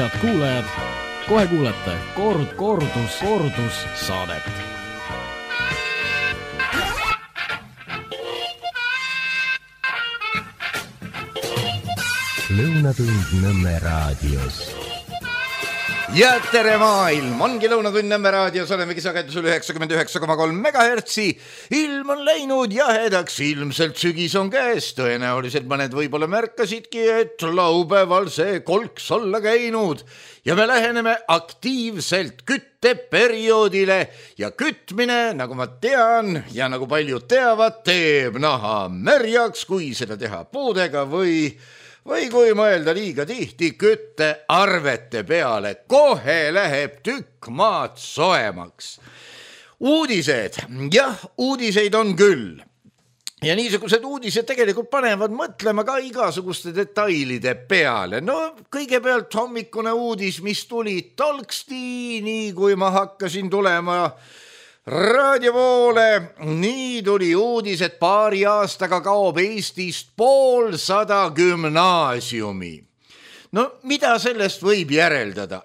Head kuulajad, kohe kuulete kordus saadet. Lõunatund Nõmme raadios. Ja tere maailm, ongi Lõunatund Nõmme raadios, olemegi sagedusel 99,3 megahertsi. Ilm on läinud jahedaks, ilmselt sügis on käes. Tõenäoliselt mõned võib-olla märkasidki, et laupäeval see kolks olla käinud. Ja me läheneme aktiivselt kütteperioodile ja kütmine, nagu ma tean ja nagu paljud teavad, teeb naha märjaks, kui seda teha puudega või kui mõelda liiga tihti küttearvete peale, kohe läheb tükk maad soemaks. Uudised, jah, uudiseid on küll. Ja niisugused uudised tegelikult panevad mõtlema ka igasuguste detailide peale. No kõigepealt hommikune uudis, mis tuli tolksti, nii kui ma hakkasin tulema raadio poole, nii tuli uudis, et paari aastaga kaob Eestist 150 gümnaasiumi. No mida sellest võib järeldada?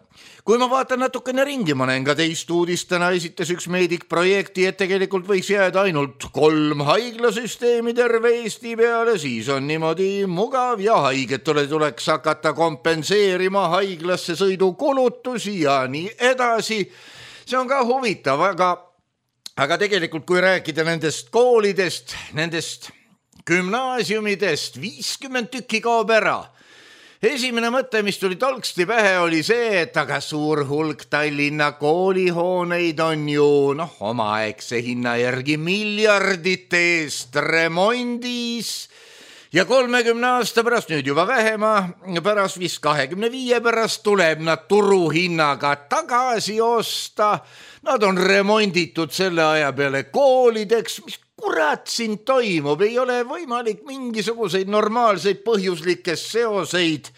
Kui ma vaatan natukene ringi, ma näen ka teist uudist, täna esitas üks meedik projekti, et tegelikult võiks jääda ainult 3 haiglasüsteemi terve Eesti peale, siis on niimoodi mugav ja haigetele tuleks hakata kompenseerima haiglasse sõidukulutusi ja nii edasi. See on ka huvitav, aga tegelikult kui rääkida nendest koolidest, nendest gümnaasiumidest, 50 tükki kaob ära. Esimene mõte, mis tuli tolksti pähe, oli see, et aga suur hulk Tallinna koolihooneid on ju omaaegse hinna järgi miljardite eest remondis ja 30 aasta pärast, nüüd juba vähema, pärast vist 25 pärast tuleb nad turuhinnaga tagasi osta. Nad on remonditud selle aja peale koolideks. Mis kurat siin toimub? Ei ole võimalik mingisuguseid normaalseid põhjuslikke seoseid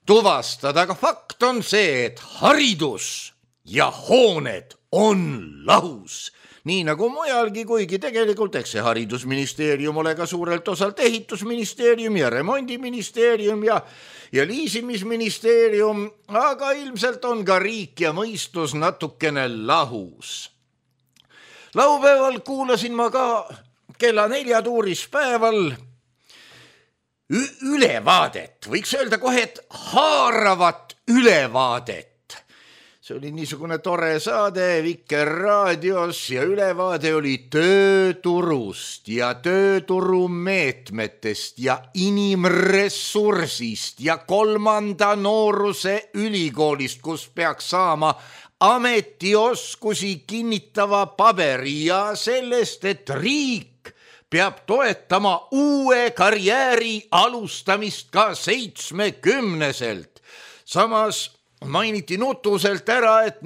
tuvastada, aga fakt on see, et haridus ja hooned on lahus. Nii nagu mujalgi, kuigi tegelikult eks see haridusministeerium ole ka suurelt osalt ehitusministeerium ja remondiministeerium ja liisimisministeerium, aga ilmselt on ka riik ja mõistus natukene lahus. Laupäeval kuulasin ma ka kella 4 tuurispäeval ülevaadet, võiks öelda kohe, et haaravat ülevaadet. See oli niisugune tore saade Vikerraadios ja ülevaade oli tööturust ja tööturumeetmetest ja inimressursist ja 3. nooruse ülikoolist, kus peaks saama ametioskusi kinnitava paberi ja sellest, et riik peab toetama uue karjääri alustamist ka 70-selt. Samas mainiti nutuselt ära, et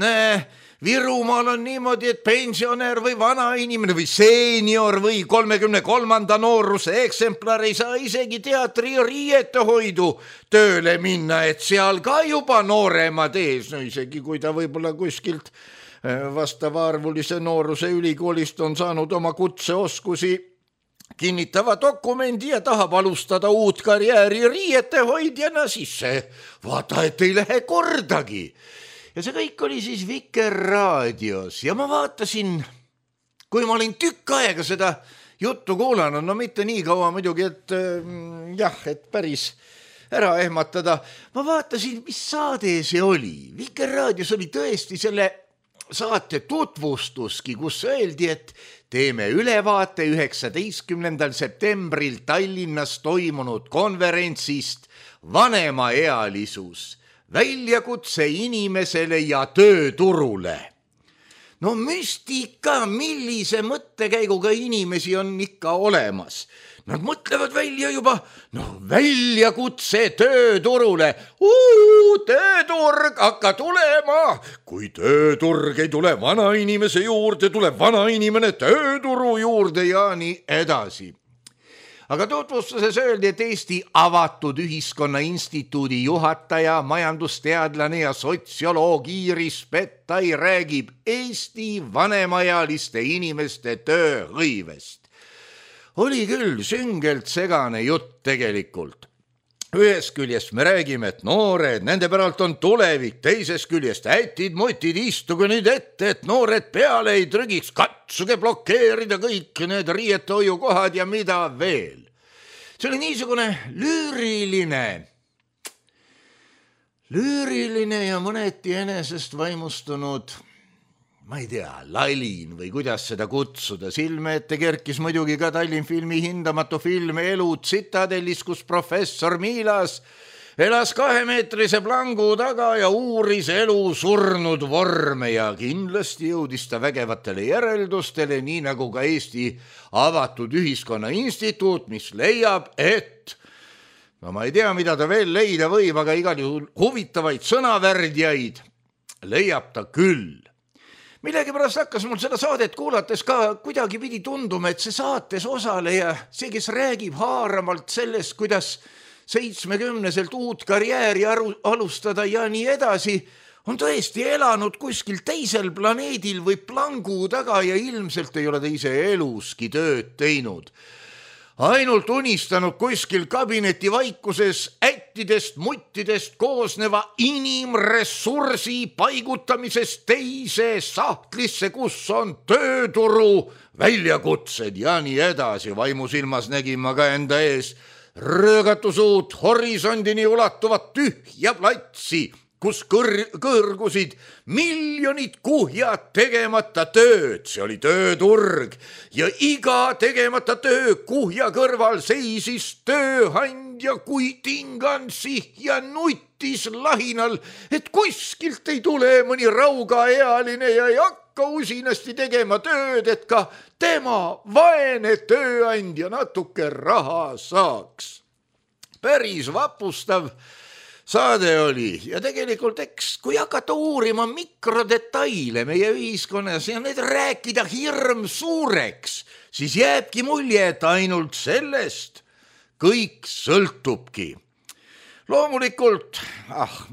Virumaal on niimoodi, et pensionär või vana inimene või seenior või 33. nooruse eksemplar ei saa isegi teatri ja riietehoidu tööle minna, et seal ka juba nooremad ees, no isegi kui ta võib-olla kuskilt vastavaarvulise nooruse ülikoolist on saanud oma kutseoskusi kinnitava dokumendi ja tahab alustada uut karjääri riietehoidjana, siis see vaata, et ei lähe kordagi. Ja see kõik oli siis Vikerraadios ja ma vaatasin, kui ma olin tükk aega seda juttu kuulanud, no mitte nii kaua muidugi, et et päris ära ehmatada. Ma vaatasin, mis saade see oli. Vikerraadios oli tõesti selle saate tutvustuski, kus öeldi, et teeme ülevaate 19. septembril Tallinnas toimunud konverentsist Vanemaealisus, väljakutse inimesele ja tööturule. No müstika, millise mõttekäiguga inimesi on ikka olemas. Nad mõtlevad välja juba, väljakutse tööturule. Tööturg hakka tulema. Kui tööturg ei tule vana inimese juurde, tuleb vana inimene tööturu juurde ja nii edasi. Aga tutvustuses öeldi, et Eesti Avatud Ühiskonna Instituudi juhataja, majandusteadlane ja sotsioloog Iiris Pettai räägib Eesti vanemaealiste inimeste tööhõivest. Oli küll süngelt segane jutt tegelikult. ühest küljest me räägime, et noored, nende päralt on tulevik, teisest küljest ätid-mutid, istuge nüüd ette, et noored peale ei trügiks, katsuge blokeerida kõik need riietehoiukohad ja mida veel. See oli niisugune lüüriline ja mõneti enesest vaimustunud, ma ei tea, lalin või kuidas seda kutsuda. Silme ette kerkis muidugi ka Tallinn Filmi hindamatu film Elu Tsitadellis, kus professor Miilas elas 2-meetrise plangu taga ja uuris elu surnud vorme ja kindlasti jõudis ta vägevatele järeldustele, nii nagu ka Eesti Avatud Ühiskonna Instituut, mis leiab, et no ma ei tea, mida ta veel leida võib, aga igal juhul huvitavaid sõnavärdjaid leiab ta küll. Millegipärast hakkas mul seda saadet kuulates ka kuidagi pidi tunduma, et see saates osaleja, see, kes räägib haaramalt sellest, kuidas 70-selt uut karjääri alustada ja nii edasi, on tõesti elanud kuskil teisel planeedil või plangu taga ja ilmselt ei ole ta ise eluski tööd teinud. Ainult unistanud kuskil kabineti vaikuses ättidest, muttidest koosneva inimressursi paigutamisest teise sahtlisse, kus on tööturu väljakutsed ja nii edasi. Vaimusilmas nägin ma ka enda ees röögatusuut horisondini ulatuvat tühja platsi, kus kõrgusid miljonid kuhjad tegemata tööd. See oli tööturg ja iga tegemata töö kuhja kõrval seisis tööandja kui tingansih ja nutis lahinal, et kuskilt ei tule mõni raugaealine ja ei hakka usinasti tegema tööd, et ka tema vaene tööandja natuke raha saaks. Päris vapustav saade oli ja tegelikult kui hakata uurima mikrodetaile meie ühiskonnas ja need rääkida hirm suureks, siis jääbki mulje, et ainult sellest kõik sõltubki. Loomulikult,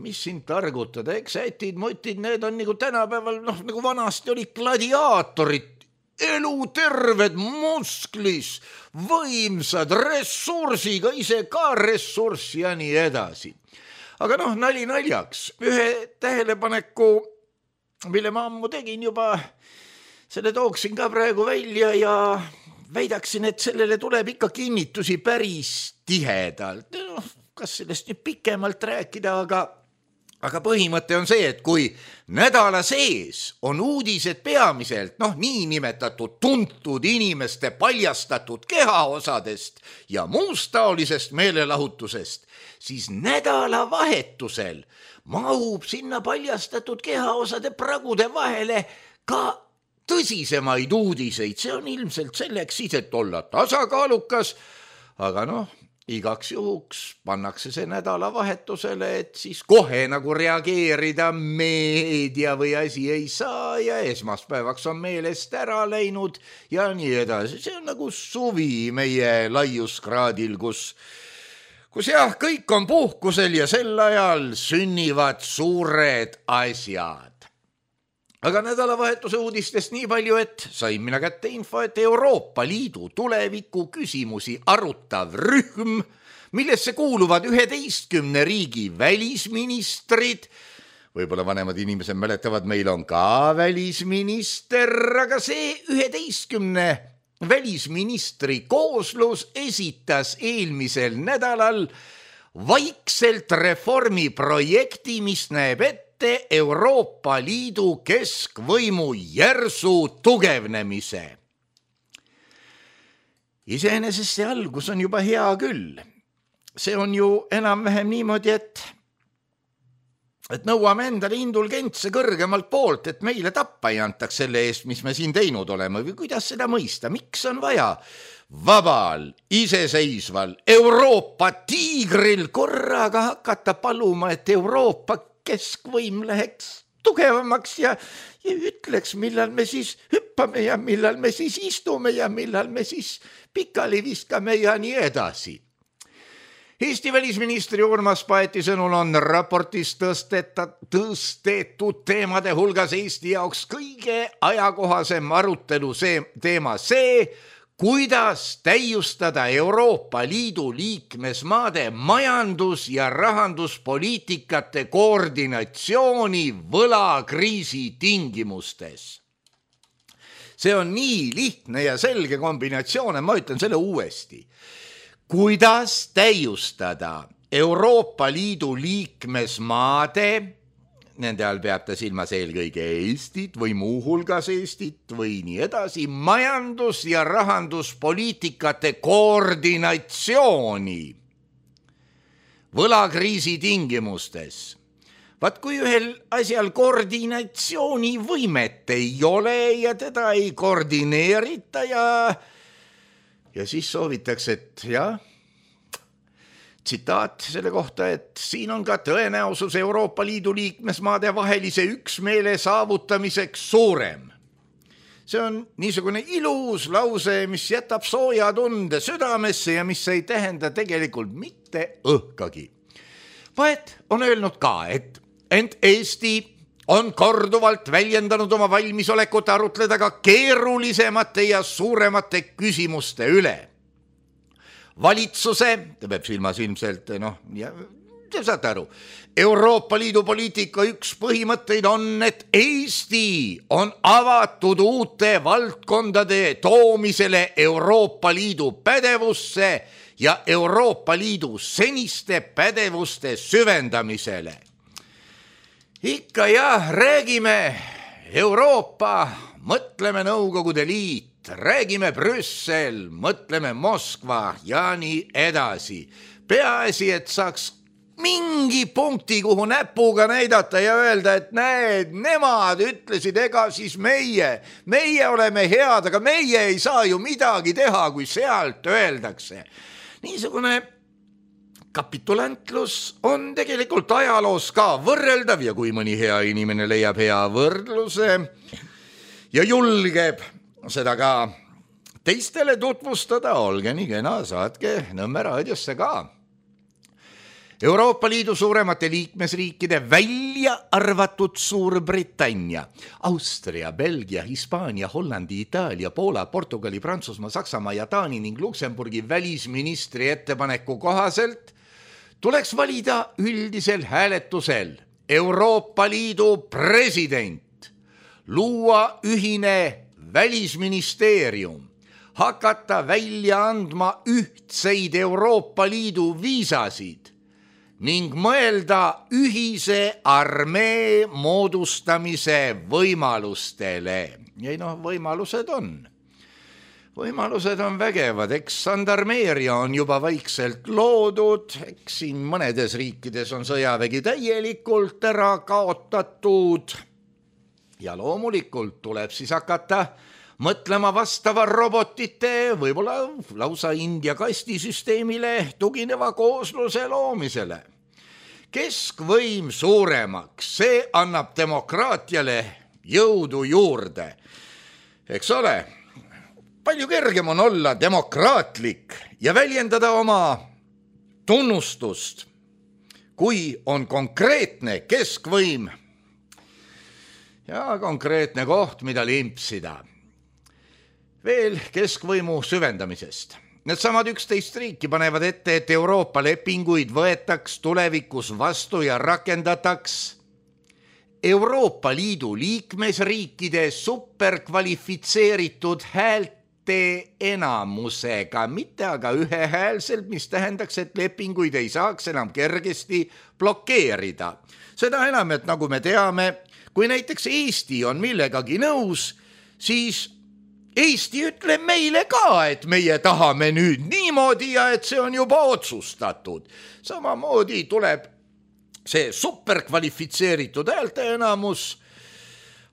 mis siin targutada, eks ätid-mutid, need on nagu tänapäeval, nagu vanasti oli gladiaatorid, eluterved, musklis, võimsad, ressursiga, ise ka ressurss ja nii edasi. Aga nali naljaks, ühe tähelepaneku, mille ma ammu tegin juba, selle tooksin ka praegu välja ja väidaksin, et sellele tuleb ikka kinnitusi päris tihedalt. Kas sellest nüüd pikemalt rääkida, aga põhimõte on see, et kui nädala sees on uudised peamiselt, niinimetatud tuntud inimeste paljastatud kehaosadest ja muust taolisest meelelahutusest, siis nädalavahetusel mahub sinna paljastatud kehaosade pragude vahele ka tõsisemaid uudiseid. See on ilmselt selleks siis, et olla tasakaalukas, aga igaks juhuks pannakse see nädalavahetusele, et siis kohe nagu reageerida meedia või asi ei saa ja esmaspäevaks on meelest ära läinud ja nii edasi. See on nagu suvi meie laiuskraadil, kus kõik on puhkusel ja sel ajal sünnivad suured asjad. Aga nädalavahetuse uudistest nii palju, et sain mina kätte info, et Euroopa Liidu tuleviku küsimusi arutav rühm, millesse kuuluvad 11 riigi välisministrid, võib-olla vanemad inimesed mäletavad, meil on ka välisminister, aga see 11 välisministri kooslus esitas eelmisel nädalal vaikselt reformiprojekti, mis näeb ette Euroopa Liidu keskvõimu järsu tugevnemise. Iseenesest see algus on juba hea küll. See on ju enam-vähem niimoodi, et nõuame endale indulgentse kõrgemalt poolt, et meile tappa ei antaks selle eest, mis me siin teinud oleme, või kuidas seda mõista, miks on vaja vabal, iseseisval Euroopa tiigril korraga hakata paluma, et Euroopa keskvõim läheks tugevamaks ja ütleks, millal me siis hüppame ja millal me siis istume ja millal me siis pikali viskame ja nii edasi. Eesti välisministri Urmas Paeti sõnul on raportis tõstetud teemade hulgas Eesti jaoks kõige ajakohasem arutelu teema see, kuidas täiustada Euroopa Liidu liikmesmaade majandus- ja rahanduspoliitikate koordinatsiooni võlakriisi tingimustes. See on nii lihtne ja selge kombinatsioon, ma ütlen selle uuesti. Kuidas täiustada Euroopa Liidu liikmesmaade, nende all peab ta silmas eelkõige Eestit või muuhulgas Eestit või nii edasi, majandus- ja rahanduspoliitikate koordinatsiooni võlakriisi tingimustes. Vaat kui ühel asjal koordinatsioonivõimet ei ole ja teda ei koordineerita ja siis soovitakse, et jah, tsitaat selle kohta, et siin on ka tõenäosus Euroopa Liidu liikmesmaade vahelise üksmeele saavutamiseks suurem. See on niisugune ilus lause, mis jätab sooja tunde südamesse ja mis ei tähenda tegelikult mitte õhkagi. Poet on öelnud ka, et ent Eesti on korduvalt väljendanud oma valmisolekut arutleda ka keerulisemate ja suuremate küsimuste üle. Valitsuse, ta peab silmas ilmselt, te saate aru, Euroopa Liidu poliitika üks põhimõtteid on, et Eesti on avatud uute valdkondade toomisele Euroopa Liidu pädevusse ja Euroopa Liidu seniste pädevuste süvendamisele. Ikka jah, räägime Euroopa, mõtleme Nõukogude Liit, räägime Brüssel, mõtleme Moskva ja nii edasi. Peaasi, et saaks mingi punkti, kuhu näpuga näidata ja öelda, et näed, nemad ütlesid, ega siis meie oleme head, aga meie ei saa ju midagi teha, kui sealt öeldakse. Niisugune kapitulantlus on tegelikult ajaloos ka võrreldav ja kui mõni hea inimene leiab hea võrdluse ja julgeb seda ka teistele tutvustada, olge nii kena, saatke Nõmme raadiosse ka. Euroopa Liidu suuremate liikmesriikide välja arvatud Suurbritannia, Austria, Belgia, Hispaania, Hollandi, Itaalia, Poola, Portugali, Prantsusmaa, Saksamaa ja Taani ning Luksemburgi välisministri ettepaneku kohaselt tuleks valida üldisel hääletusel Euroopa Liidu president, luua ühine välisministeerium, hakata välja andma ühtseid Euroopa Liidu viisasid ning mõelda ühise armee moodustamise võimalustele. Ja võimalused on vägevad, eks sandarmeeria on juba vaikselt loodud, eks siin mõnedes riikides on sõjavägi täielikult ära kaotatud ja loomulikult tuleb siis hakata mõtlema vastava robotite, võib-olla lausa India kastisüsteemile tugineva koosluse loomisele. Keskvõim suuremaks, see annab demokraatiale jõudu juurde. Eks ole, palju kergem on olla demokraatlik ja väljendada oma tunnustust, kui on konkreetne keskvõim ja konkreetne koht, mida limpsida. Veel keskvõimu süvendamisest. Needsamad 11 riiki panevad ette, et Euroopa lepinguid võetaks tulevikus vastu ja rakendataks Euroopa Liidu liikmesriikide superkvalifitseeritud häälte enamusega, mitte aga ühehäälselt, mis tähendaks, et lepinguid ei saaks enam kergesti blokeerida. Seda enam, et nagu me teame, kui näiteks Eesti on millegagi nõus, siis Eesti ütleb meile ka, et meie tahame nüüd niimoodi ja et see on juba otsustatud. Samamoodi tuleb see superkvalifitseeritud häälte enamus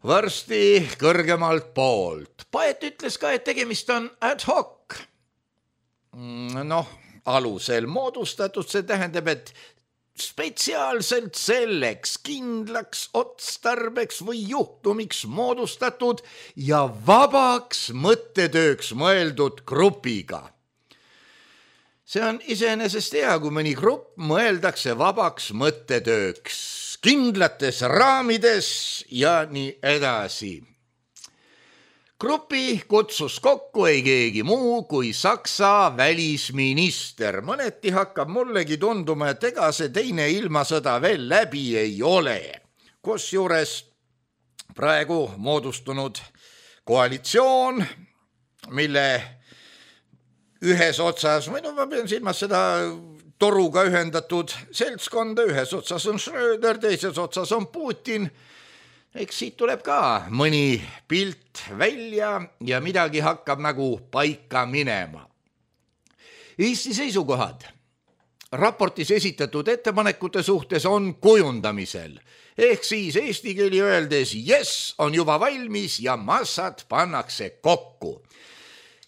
varsti kõrgemalt poolt. Poet ütles ka, et tegemist on ad hoc. Alusel moodustatud, see tähendab, et spetsiaalselt selleks kindlaks otstarbeks või juhtumiks moodustatud ja vabaks mõttetööks mõeldud grupiga. See on iseenesest hea, kui mõni grupp mõeldakse vabaks mõttetööks, kindlates raamides ja nii edasi. Grupi kutsus kokku ei keegi muu kui Saksa välisminister. Mõneti hakkab mullegi tunduma, et ega see teine ilmasõda veel läbi ei ole. Kusjuures praegu moodustunud koalitsioon, mille ühes otsas, või no ma pean silmas seda toruga ühendatud seltskonda, ühes otsas on Schröder, teises otsas on Putin. Eks siit tuleb ka mõni pilt välja ja midagi hakkab nagu paika minema. Eesti seisukohad raportis esitatud ettepanekute suhtes on kujundamisel. Ehk siis eesti keeli öeldes yes on juba valmis ja massad pannakse kokku.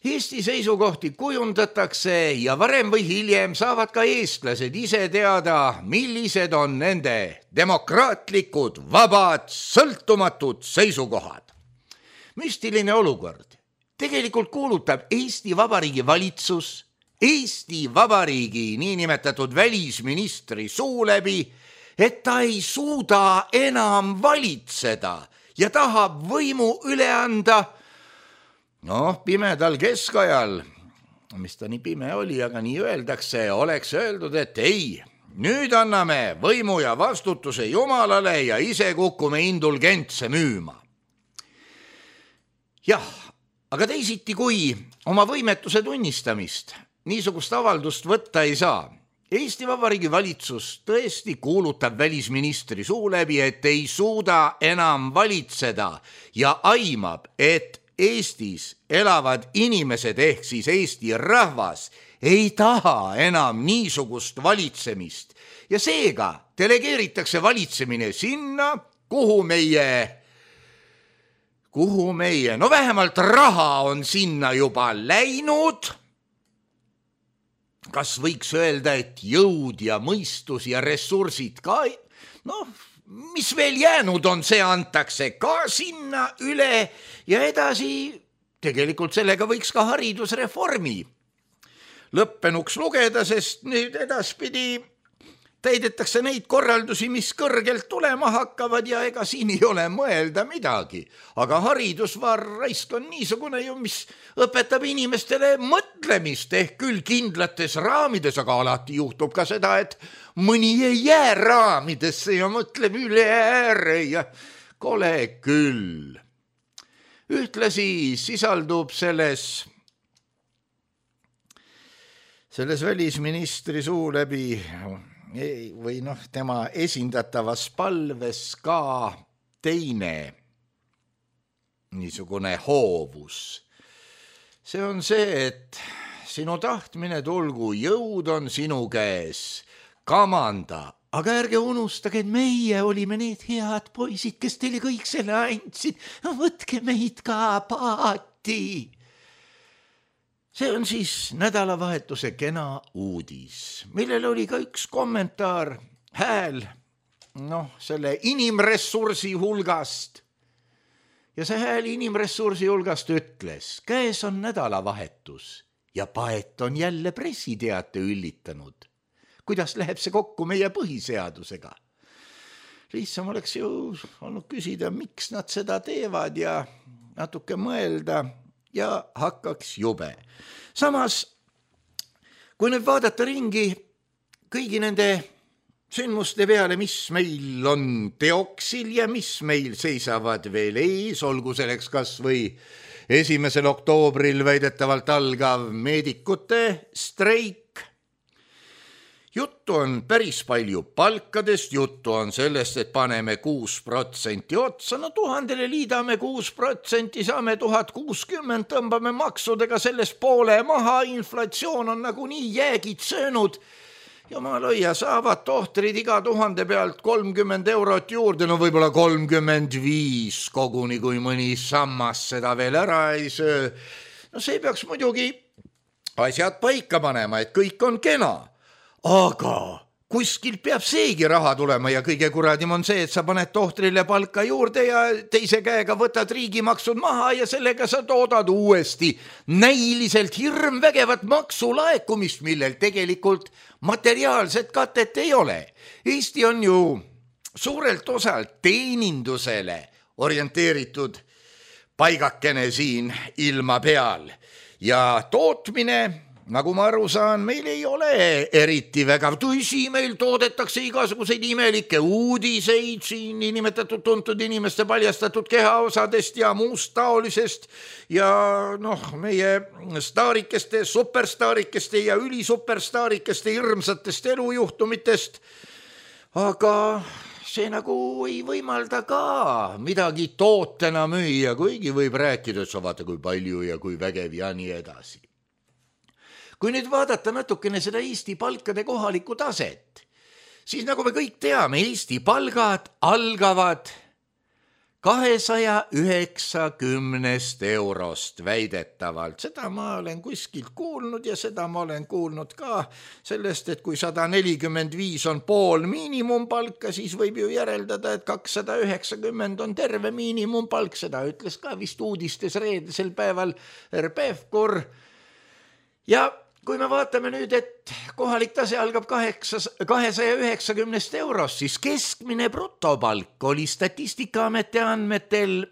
Eesti seisukohti kujundatakse ja varem või hiljem saavad ka eestlased ise teada, millised on nende demokraatlikud, vabad, sõltumatud seisukohad. Müstiline olukord. Tegelikult kuulutab Eesti Vabariigi valitsus, Eesti Vabariigi niinimetatud välisministri suu läbi, et ta ei suuda enam valitseda ja tahab võimu üle anda pimedal keskajal, mis ta nii pime oli, aga nii öeldakse, oleks öeldud, et ei, nüüd anname võimu ja vastutuse Jumalale ja ise kukume indulgentse müüma. Jah, aga teisiti kui oma võimetuse tunnistamist niisugust avaldust võtta ei saa. Eesti Vabariigi valitsus tõesti kuulutab välisministri suu läbi, et ei suuda enam valitseda ja aimab, et Eestis elavad inimesed ehk siis Eesti rahvas ei taha enam niisugust valitsemist ja seega delegeeritakse valitsemine sinna, kuhu meie, vähemalt raha on sinna juba läinud. Kas võiks öelda, et jõud ja mõistus ja ressursid ka, mis veel jäänud on, see antakse ka sinna üle ja edasi tegelikult sellega võiks ka haridusreformi lõppenuks lugeda, sest nüüd edaspidi täidetakse neid korraldusi, mis kõrgelt tulema hakkavad ja ega siin ei ole mõelda midagi. Aga haridusvarraisk on niisugune ju, mis õpetab inimestele mõtlemist ehk küll kindlates raamides, aga alati juhtub ka seda, et mõni ei jää raamidesse ja mõtleb üle ääre ja kole küll. Ühtlasi sisaldub selles välisministri suu läbi või tema esindatavas palves ka teine niisugune hoovus. See on see, et sinu tahtmine tulgu, jõud on sinu käes, kamanda, aga ärge unustage, et meie olime need head poisid, kes teile kõik selle andsid. Võtke meid ka paati. See on siis nädalavahetuse kena uudis, millel oli ka üks kommentaar, hääl, selle inimressursi hulgast. Ja see hääl inimressursi hulgast ütles, käes on nädalavahetus ja paet on jälle pressiteate üllitanud. Kuidas läheb see kokku meie põhiseadusega? Lihtsam oleks ju olnud küsida, miks nad seda teevad ja natuke mõelda ja hakkaks jube. Samas, kui nüüd vaadata ringi kõigi nende sündmuste peale, mis meil on teoksil ja mis meil seisavad veel ees, olgu selleks kas või 1. oktoobril väidetavalt algav meedikute streik. Juttu on päris palju palkadest, juttu on sellest, et paneme 6% otsa, 1000 liidame 6%, saame 1060, tõmbame maksudega sellest poole maha, inflatsioon on nagunii jäägid söönud. Jumal hoia, saavad tohtrid iga 1000 pealt 30 eurot juurde, võib-olla 35 koguni, kui mõni sammas seda veel ära ei söö. See peaks muidugi asjad paika panema, et kõik on kena. Aga kuskil peab seegi raha tulema ja kõige kuradim on see, et sa paned tohtrile palka juurde ja teise käega võtad riigimaksud maha ja sellega sa toodad uuesti näiliselt hirmvägevat maksulaekumist, millel tegelikult materiaalset katet ei ole. Eesti on ju suurelt osalt teenindusele orienteeritud paigakene siin ilma peal ja tootmine, nagu ma aru saan, meil ei ole eriti vägav. Tõsi, meil toodetakse igasuguseid imelikke uudiseid siin niinimetatud tuntud inimeste paljastatud kehaosadest ja muust taolisest ja meie staarikeste, superstaarikeste ja ülisuperstaarikeste hirmsatest elujuhtumitest, aga see nagu ei võimalda ka midagi tootena müüa, kuigi võib rääkida, et sa vaata kui palju ja kui vägev ja nii edasi. Kui nüüd vaadata natukene seda Eesti palkade kohalikku taset, siis nagu me kõik teame, Eesti palgad algavad 290 eurost väidetavalt. Seda ma olen kuskilt kuulnud ja seda ma olen kuulnud ka sellest, et kui 145 on pool miinimumpalka, siis võib ju järeldada, et 290 on terve miinimumpalk. Seda ütles ka vist uudistes reedesel päeval Pevkur. Ja kui me vaatame nüüd, et kohalik tase algab 290 eurost, siis keskmine brutopalk oli Statistikaameti andmetel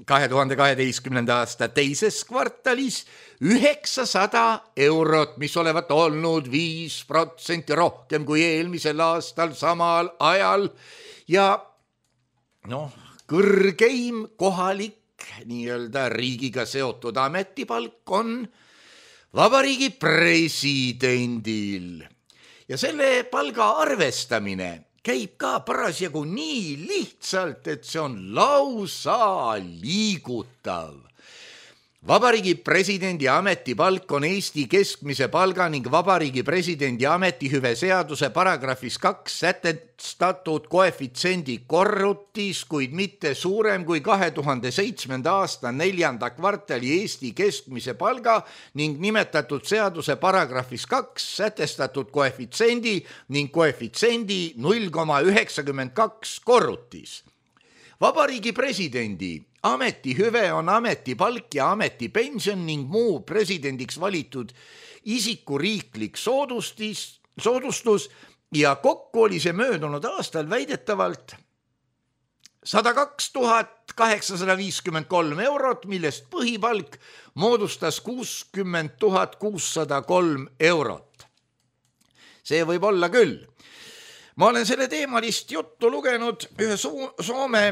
2012. aasta teises kvartalis 900 eurot, mis olevat olnud 5% rohkem kui eelmisel aastal samal ajal. Ja kõrgeim kohalik nii-öelda riigiga seotud ametipalk on Vabariigi presidendil. Ja selle palga arvestamine käib ka parasjagu nii lihtsalt, et see on lausa liigutav. Vabariigi presidendi ametipalk on Eesti keskmise palga ning Vabariigi presidendi ametihüve seaduse paragrahvis 2 sätestatud koefitsiendi korrutis, kuid mitte suurem kui 2007. aasta 4. kvartali Eesti keskmise palga ning nimetatud seaduse paragrahvis 2 sätestatud koefitsiendi ning koefitsiendi 0,92 korrutis. Vabariigi presidendi ametihüve on ametipalk ja ametipension ning muu presidendiks valitud isiku riiklik soodustus ja kokku oli see möödunud aastal väidetavalt 102 853 eurot, millest põhipalk moodustas 60 603 eurot. See võib olla küll. Ma olen selle teemalist juttu lugenud ühe Soome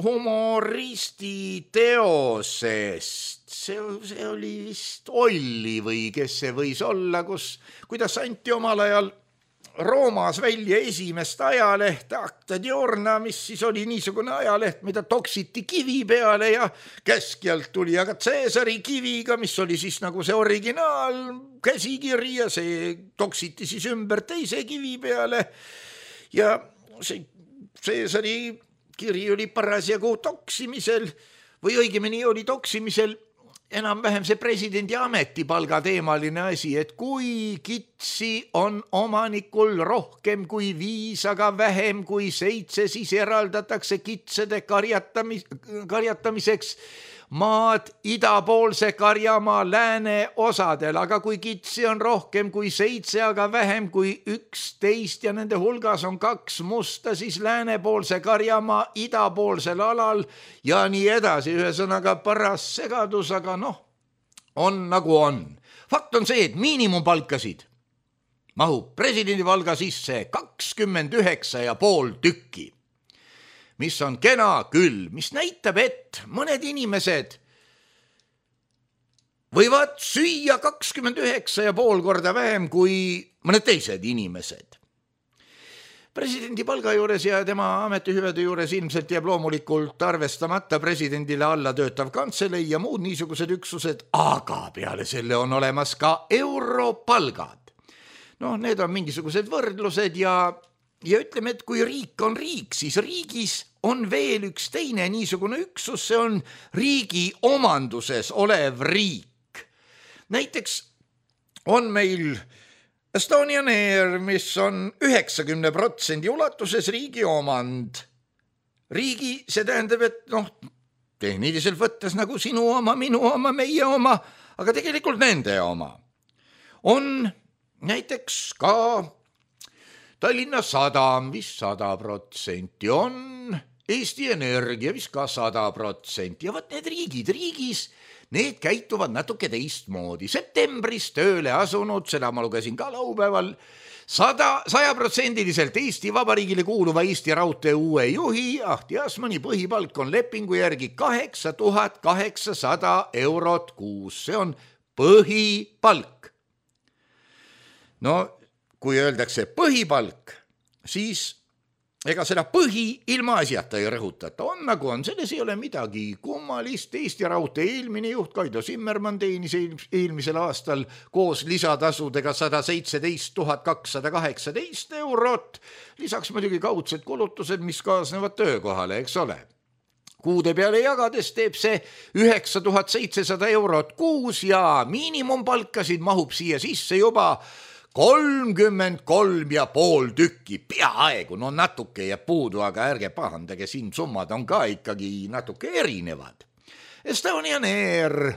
humoristi teosest. See oli vist Olli või kes see võis olla, kuidas anti omal ajal Roomas välja esimest ajaleht Acta Diurna, mis siis oli niisugune ajaleht, mida toksiti kivi peale ja keskjalt tuli aga Caesari kiviga, mis oli siis nagu see originaal käsikiri ja see toksiti siis ümber teise kivi peale. Ja see Caesari kiri oli parasjagu toksimisel või õigemini oli toksimisel enam-vähem see presidendi ametipalga teemaline asi, et kui kitsi on omanikul rohkem kui 5, aga vähem kui 7, siis eraldatakse kitsede karjatamiseks maad idapoolse Karjamaa lääne osadel, aga kui kitsi on rohkem kui 7, aga vähem kui 11 ja nende hulgas on 2 musta, siis läänepoolse Karjamaa idapoolsel alal ja nii edasi. Ühesõnaga paras segadus, aga on nagu on. Fakt on see, et miinimumpalkasid mahub presidendi palga sisse 29,5 tükki. Mis on kena küll, mis näitab, et mõned inimesed võivad süüa 29,5 korda vähem kui mõned teised inimesed. Presidendi palga juures ja tema ametihüvede juures ilmselt jääb loomulikult arvestamata presidendile alla töötav kantselei ja muud niisugused üksused, aga peale selle on olemas ka europalgad. Need on mingisugused võrdlused ja ütleme, et kui riik on riik, siis riigis on veel üks teine niisugune üksus, see on riigi omanduses olev riik. Näiteks on meil Estonian Air, mis on 90% ulatuses riigi omand. Riigi, see tähendab, et tehniliselt võttes nagu sinu oma, minu oma, meie oma, aga tegelikult nende oma. On näiteks ka Tallinna Sadam, vist 100% on Eesti Energia vist ka 100% ja võt need riigis, need käituvad natuke teistmoodi. Septembris tööle asunud, seda ma lugesin ka laupäeval, 100% Eesti Vabariigile kuuluva Eesti Raudtee uue juhi Ahti Asmani põhipalk on lepingu järgi 8800 eurot kuus. See on põhipalk. No kui öeldakse põhipalk, siis ega seda põhi ilma asjata ei rõhutata. On nagu on, selles ei ole midagi kummalist. Eesti Raudtee eelmine juht Kaido Simmermann teenis eelmisel aastal koos lisatasudega 117 218 eurot. Lisaks muidugi kaudsed kulutused, mis kaasnevad töökohale, eks ole. Kuude peale jagades teeb see 9700 eurot kuus ja miinimumpalkasid mahub siia sisse juba 33,5 tükki, peaaegu, no natuke jääb puudu, aga ärge pahandage, siin summad on ka ikkagi natuke erinevad. Estonian Air,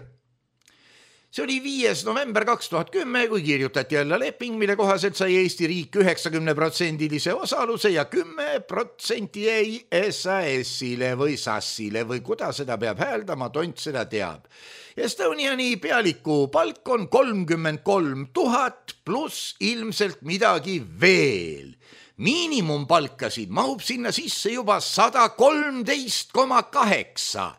see oli 5. november 2010, kui kirjutati jälle leping, mille kohaselt sai Eesti riik 90% osaluse ja 10% jäi SAS-ile või SAS-ile või kuidas seda peab hääldama, tont seda teab. Estoniani pealiku palk on 33 000 pluss ilmselt midagi veel. Miinimumpalkasid mahub sinna sisse juba 113,8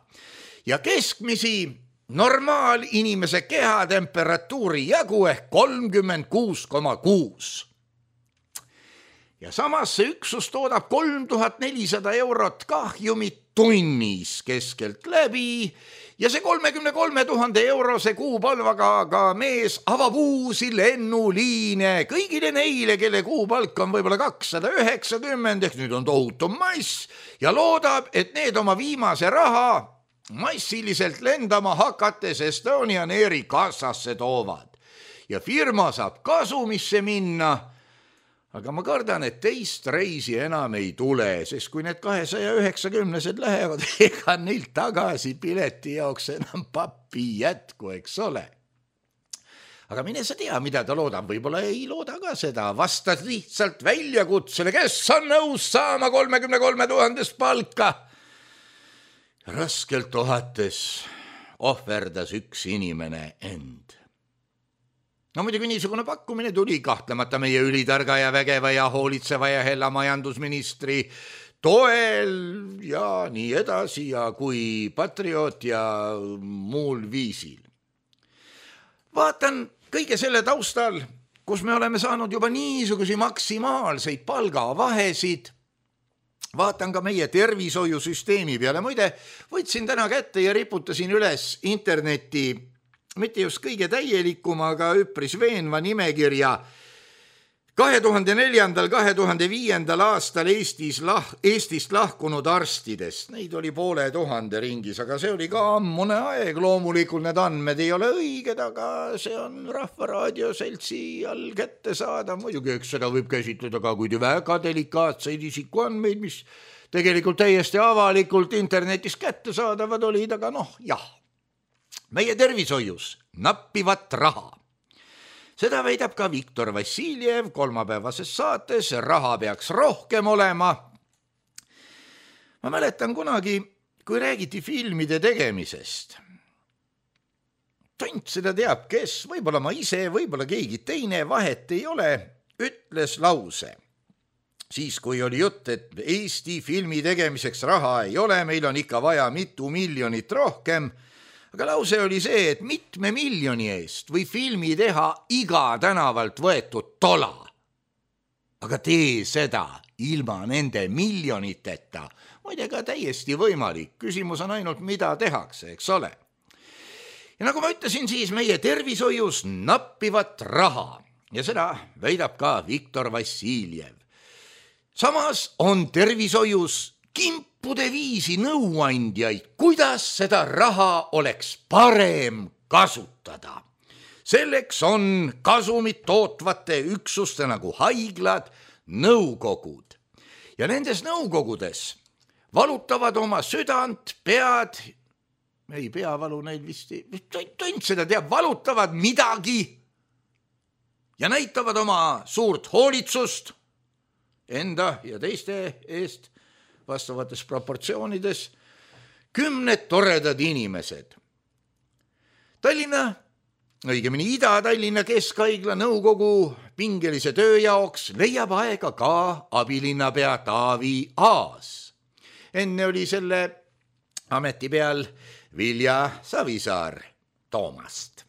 ja keskmisi normaalinimese kehatemperatuuri jagu ehk 36,6. Ja samas see üksus toodab 3400 eurot kahjumit tunnis keskelt läbi ja see 33 000 eurose kuupalvaga ka mees avab uusi lennuliine kõigile neile, kelle kuupalk on võib-olla 290 ehk nüüd on tohutu mass ja loodab, et need oma viimase raha massiliselt lendama hakates Estonian Airi kassasse toovad ja firma saab kasumisse minna. Aga ma kardan, et teist reisi enam ei tule, sest kui need 290-sed lähevad, ega neil tagasi pileti jaoks enam pappi jätku, eks ole. Aga mine sa tea, mida ta loodab, võib-olla ei looda ka seda, vastad lihtsalt väljakutsele, kes on nõus saama 33 000 palka. Raskelt ohates ohverdas üks inimene end. No muidugi niisugune pakkumine tuli kahtlemata meie ülitarga ja vägeva ja hoolitseva ja hella majandusministri toel ja nii edasi ja kui patrioot ja muul viisil. Vaatan kõige selle taustal, kus me oleme saanud juba niisugusi maksimaalseid palgavahesid, vaatan ka meie tervishoiusüsteemi peale. Muide, võtsin täna kätte ja riputasin üles interneti mitte just kõige täielikuma, aga üpris veenva nimekirja 2004-2005 aastal Eestist lahkunud arstidest. Neid oli 500 ringis, aga see oli ka ammune aeg. Loomulikult need andmed ei ole õiged, aga see on Rahvaraadio seltsi all kätte saada. Muidugi, eks seda võib käsitleda ka kui väga delikaatseid isikuandmeid, mis tegelikult täiesti avalikult internetis kätte saadavad olid, aga jah. Meie tervishoius nappivat raha. Seda väidab ka Viktor Vassiljev kolmapäevases saates, raha peaks rohkem olema. Ma mäletan kunagi, kui räägiti filmide tegemisest. Tont seda teab, kes, võib-olla ma ise, võib-olla keegi teine, vahet ei ole, ütles lause. Siis, kui oli jutt, et Eesti filmi tegemiseks raha ei ole, meil on ikka vaja mitu miljonit rohkem, aga lause oli see, et mitme miljoni eest või filmi teha iga tänavalt võetud tola. Aga tee seda ilma nende miljoniteta. Muide ka täiesti võimalik. Küsimus on ainult, mida tehakse, eks ole. Ja nagu ma ütlesin, siis meie tervishoius nappivat raha. Ja seda väidab ka Viktor Vassiljev. Samas on tervishoius kimpude viisi nõuandjaid, kuidas seda raha oleks parem kasutada. Selleks on kasumit tootvate üksuste nagu haiglad, nõukogud. Ja nendes nõukogudes valutavad oma südant, pead, ei peavalu neil vist, tont seda teab, valutavad midagi ja näitavad oma suurt hoolitsust enda ja teiste eest, vastavates proportsioonides 10 toredad inimesed. Tallinna, õigemini Ida-Tallinna Keskhaigla nõukogu pingelise töö jaoks leiab aega ka abilinnapea Taavi Aas. Enne oli selle ameti peal Vilja Savisaar Toomast.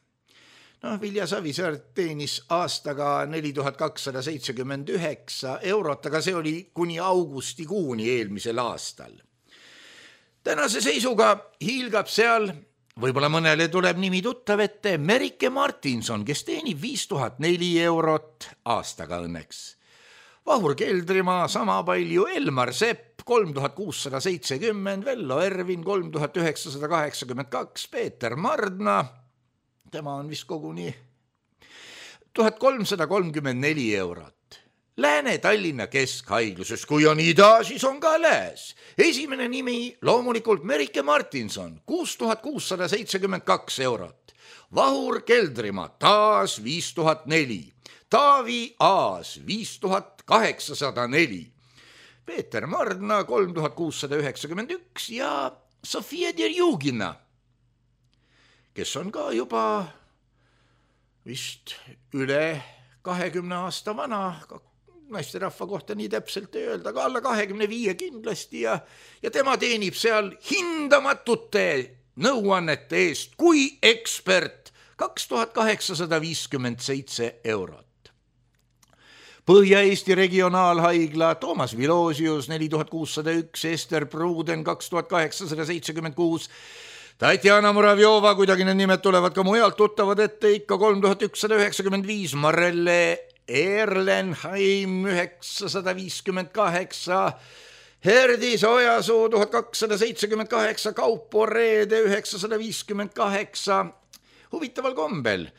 Vilja Savisaar teenis aastaga 4279 eurot, aga see oli kuni augustikuuni eelmisel aastal. Tänase seisuga hiilgab seal, võib-olla mõnele tuleb nimi tuttav ette, Merike Martinson, kes teenib 5004 eurot aastaga õnneks. Vahur Keldrimaa sama palju, Elmar Sepp 3670, Vello Ervin 3982, Peeter Mardna, tema on vist koguni 1334 eurot. Lääne-Tallinna Keskhaigluses, kui on ida, siis on ka lääs. Esimene nimi loomulikult Merike Martinson, 6672 eurot. Vahur Keldrimaa taas 5004, Taavi Aas 5804, Peeter Mardna 3691 ja Sofia Derjugina, kes on ka juba vist üle 20 aasta vana, naisterahva kohta nii täpselt ei öelda, aga alla 25 kindlasti ja tema teenib seal hindamatute nõuannete eest kui ekspert 2857 eurot. Põhja-Eesti regionaalhaigla Toomas Vilosius 4601, Ester Pruuden 2876, Tatjana Muravjova, kuidagi need nimed tulevad ka mujalt tuttavad ette, ikka 3195, Marelle Erlenheim 958, Herdis Ojasuu 1278, Kaupo Reede 958. Huvitaval kombel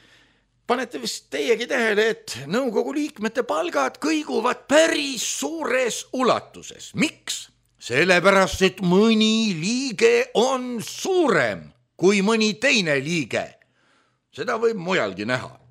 panete vist teiegi tähele, et nõukogu liikmete palgad kõiguvad päris suures ulatuses. Miks? Sellepärast, et mõni liige on suurem kui mõni teine liige. Seda võib mujalgi näha.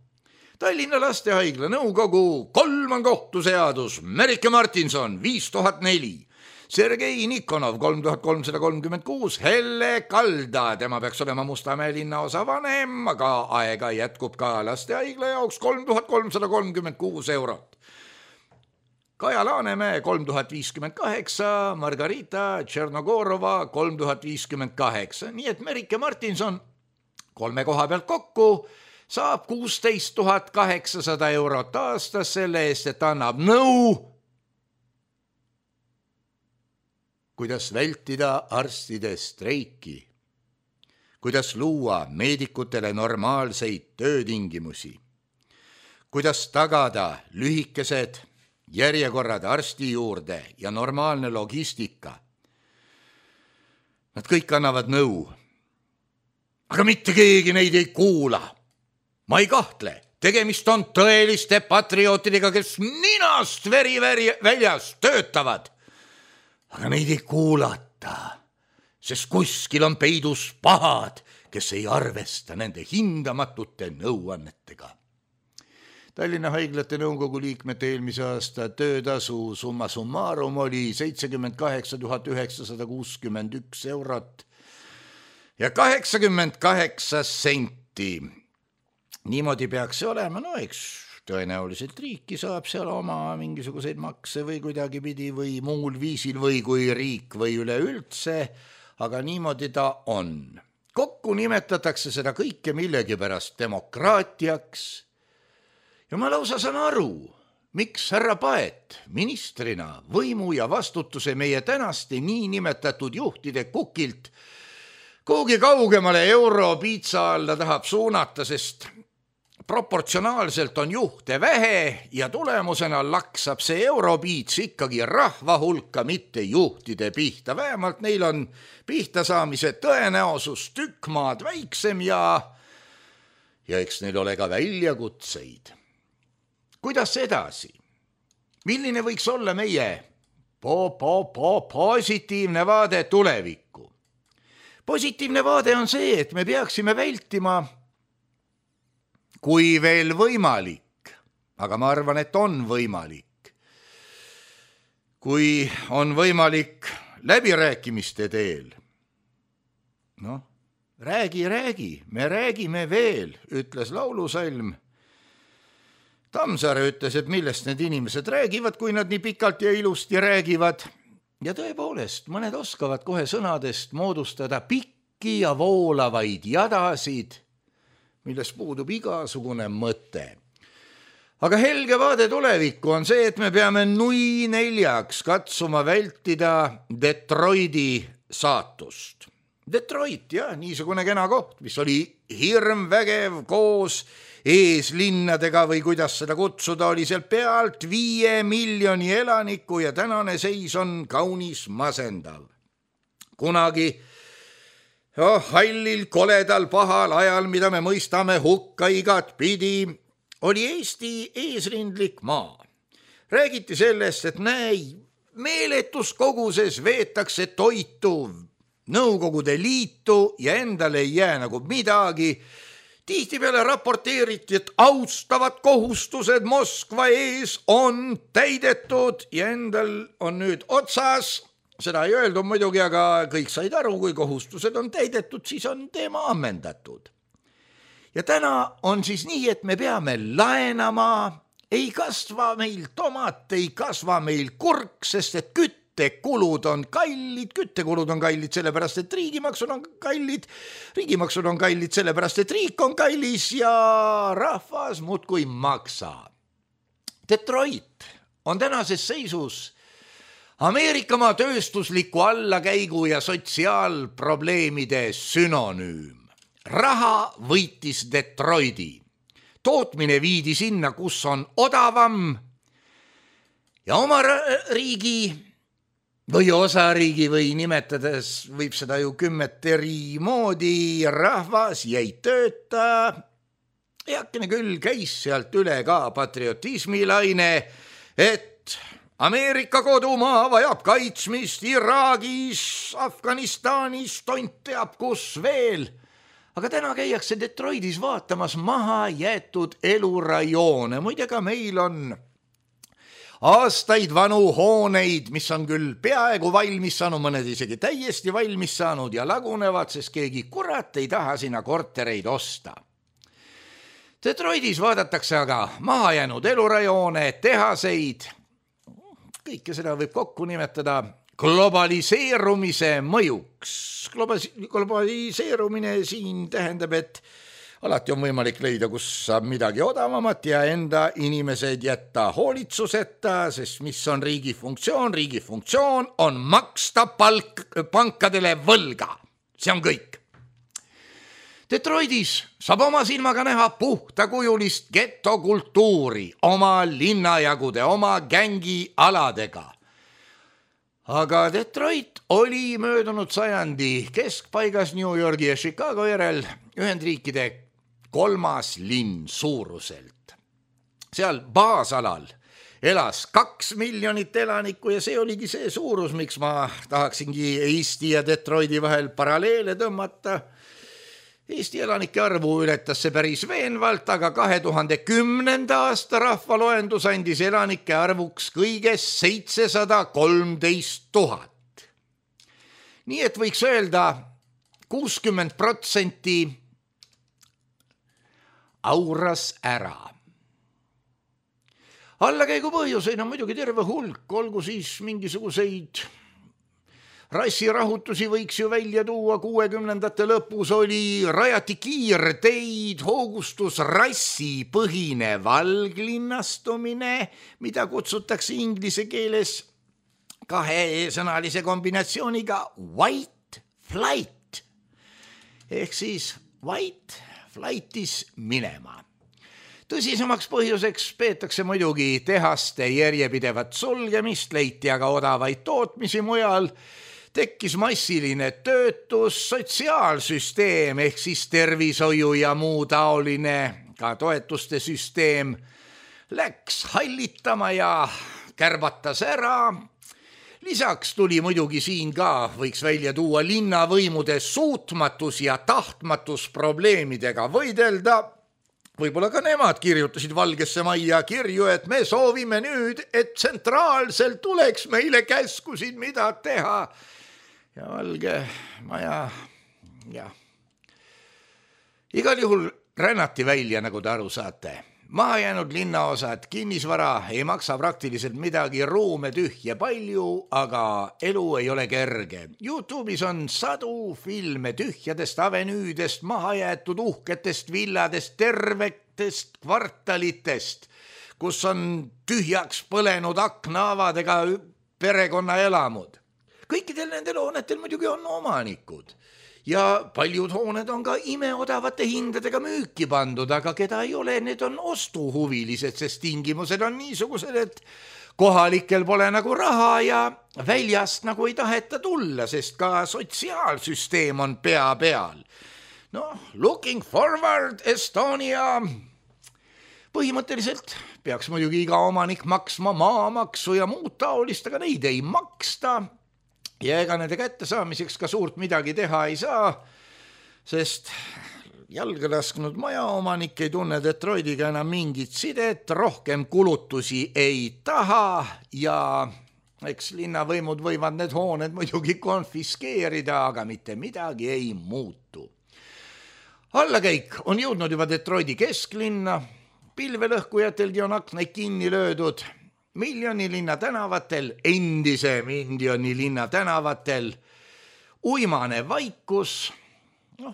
Tallinna Lastehaigla nõukogu 3 on kohtuseadus, Merike Martinson 5004, Sergei Nikonov 3336, Helle Kalda, tema peaks olema Mustamäe linnaosa vanem, aga aega jätkub ka Lastehaigla jaoks 3336 eurot. Kaja Laanemäe 3058, Margarita Tšernogorova 3058, nii et Merike Martinson 3 koha pealt kokku saab 16 800 eurot aastas selle eest, et annab nõu, kuidas vältida arstide streiki, kuidas luua meedikutele normaalseid töötingimusi, kuidas tagada lühikesed järjekorrad arsti juurde ja normaalne logistika. Nad kõik annavad nõu, aga mitte keegi neid ei kuula. Ma ei kahtle, tegemist on tõeliste patriootidega, kes ninast veri väljas töötavad. Aga neid ei kuulata, sest kuskil on peidus pahad, kes ei arvesta nende hindamatute nõuannetega. Tallinna haiglate nõukogu liikmete eelmise aasta töötasu summa summarum oli 78 961 eurot ja 88 senti. Niimoodi peaks see olema, eks tõenäoliselt riiki saab seal oma mingisuguseid makse või kuidagi pidi või muul viisil või kui riik või üleüldse, aga niimoodi ta on. Kokku nimetatakse seda kõike millegipärast demokraatiaks ja ma lausa saan aru, miks härra Paet ministrina võimu ja vastutuse meie tänaste niinimetatud juhtide kukilt kuhugi kaugemale Europiitsa alla tahab suunata, sest proportsionaalselt on juhte vähe ja tulemusena laksab see Europiits ikkagi rahva hulka, mitte juhtide pihta. Vähemalt neil on pihta saamise tõenäosus tükk maad väiksem ja eks neil ole ka väljakutseid. Kuidas edasi? Milline võiks olla meie positiivne vaade tulevikku? Positiivne vaade on see, et me peaksime vältima, kui veel võimalik, aga ma arvan, et on võimalik. Kui on võimalik läbirääkimiste teel. Noh, räägi, me räägime veel, ütles laulusalm. Tammsaare ütles, et millest need inimesed räägivad, kui nad nii pikalt ja ilusti räägivad. Ja tõepoolest, mõned oskavad kohe sõnadest moodustada pikki ja voolavaid jadasid, milles puudub igasugune mõte. Aga helge vaade tulevikku on see, et me peame nui neljaks katsuma vältida Detroiti saatust. Detroit, jah, niisugune kena koht, mis oli hirmvägev koos eeslinnadega või kuidas seda kutsuda, oli seal pealt 5 miljoni elaniku ja tänane seis on kaunis masendav. Kunagi hallil, koledal, pahal ajal, mida me mõistame hukka igat pidi, oli Eesti eesrindlik maa. Räägiti sellest, et meeletus koguses veetakse toitu Nõukogude Liitu ja endale ei jää nagu midagi. Tihtipeale raporteeriti, et austavad kohustused Moskva ees on täidetud ja endal on nüüd otsas. Seda ei öeldu muidugi, aga kõik said aru, kui kohustused on täidetud, siis on teema ammendatud. Ja täna on siis nii, et me peame laenama, ei kasva meil tomat, ei kasva meil kurk, sest et küttekulud on kallid, sellepärast et riigimaksud on kallid, sellepärast et riik on kallis ja rahvas muudkui maksab. Detroit on tänases seisus Ameerikamaa tööstusliku allakäigu ja sotsiaalprobleemide synonüüm. Raha võitis Detroiti. Tootmine viidi sinna, kus on odavam ja oma riigi või osariigi või nimetades võib seda ju 10 eri moodi, rahvas jäi tööta. Eakene küll käis sealt üle ka patriotismilaine, et Ameerika kodumaa vajab kaitsmist Iraagis, Afganistanis, tont teab kus veel. Aga täna käiakse Detroitis vaatamas maha jäetud elurajoone. Muide ka meil on aastaid vanu hooneid, mis on küll peaaegu valmis saanud, mõned isegi täiesti valmis saanud ja lagunevad, sest keegi kurat ei taha sinna kortereid osta. Detroitis vaadatakse aga maha jäänud elurajoone, tehaseid. Kõike seda võib kokku nimetada globaliseerumise mõjuks. Globaliseerumine siin tähendab, et alati on võimalik leida, kus saab midagi odavamat ja enda inimesed jätta hoolitsuseta, sest mis on riigi funktsioon? Riigi funktsioon on maksta pankadele võlga. See on kõik. Detroitis saab oma silmaga näha puhtakujulist getokultuuri oma linnajagude, oma gängialadega. Aga Detroit oli möödunud sajandi keskpaigas New Yorgi ja Chicago järel Ühendriikide 3. linn suuruselt. Seal baasalal elas 2 miljonit elanikku ja see oligi see suurus, miks ma tahaksingi Eesti ja Detroiti vahel paralleele tõmmata. Eesti elanike arvu ületas see päris veenvalt, aga 2010. aasta rahvaloendus andis elanike arvuks kõiges 713 000. Nii et võiks öelda 60% auras ära. Allakäigu põhjuseid on muidugi terve hulk, olgu siis mingisuguseid rassirahutusi võiks ju välja tuua, 60ndate lõpus rajati kiirteid, hoogustus rassipõhine valglinnastumine, mida kutsutakse inglise keeles 2 sõnalise kombinatsiooniga white flight. Ehk siis white flightis minema. Tõsisemaks põhjuseks peetakse muidugi tehaste järjepidevat sulgemist, leiti aga odavaid tootmisi mujal, tekkis massiline töötus, sotsiaalsüsteem ehk siis tervishoiu ja muu taoline, ka toetuste süsteem läks hallitama ja kärbatas ära. Lisaks tuli muidugi siin ka, võiks välja tuua linnavõimude suutmatus ja tahtmatus probleemidega võidelda. võib-olla ka nemad kirjutasid Valgesse Majja kirju, et me soovime nüüd, et tsentraalselt tuleks meile käskusid, mida teha. Ja Valge Maja, igal juhul rännati välja, nagu te aru saate. Maha jäänud linnaosad, kinnisvara ei maksa praktiliselt midagi, ruume tühja palju, aga elu ei ole kerge. YouTube'is on sadu filme tühjadest avenüüdest, maha jäetud uhketest villadest, tervetest kvartalitest, kus on tühjaks põlenud aknaavadega perekonnaelamud. Kõikidel nendel hoonetel muidugi on omanikud. Ja paljud hooned on ka imeodavate hindadega müüki pandud, aga keda ei ole, need on ostuhuvilised, sest tingimused on niisugused, et kohalikel pole nagu raha ja väljast nagu ei taheta tulla, sest ka sotsiaalsüsteem on pea peal. Looking forward Estonia. Põhimõtteliselt peaks muidugi iga omanik maksma maamaksu ja muud taolist, aga neid ei maksta. Ja ega nende kättesaamiseks ka suurt midagi teha ei saa, sest jalga lasknud majaomanik ei tunne Detroitiga enam mingit sidet, rohkem kulutusi ei taha ja eks linnavõimud võivad need hooned muidugi konfiskeerida, aga mitte midagi ei muutu. Allakäik on jõudnud juba Detroiti kesklinna, pilvelõhkujatelgi on aknaid kinni löödud, Miljoni linna tänavatel, endise Miljoni linna tänavatel, uimane vaikus,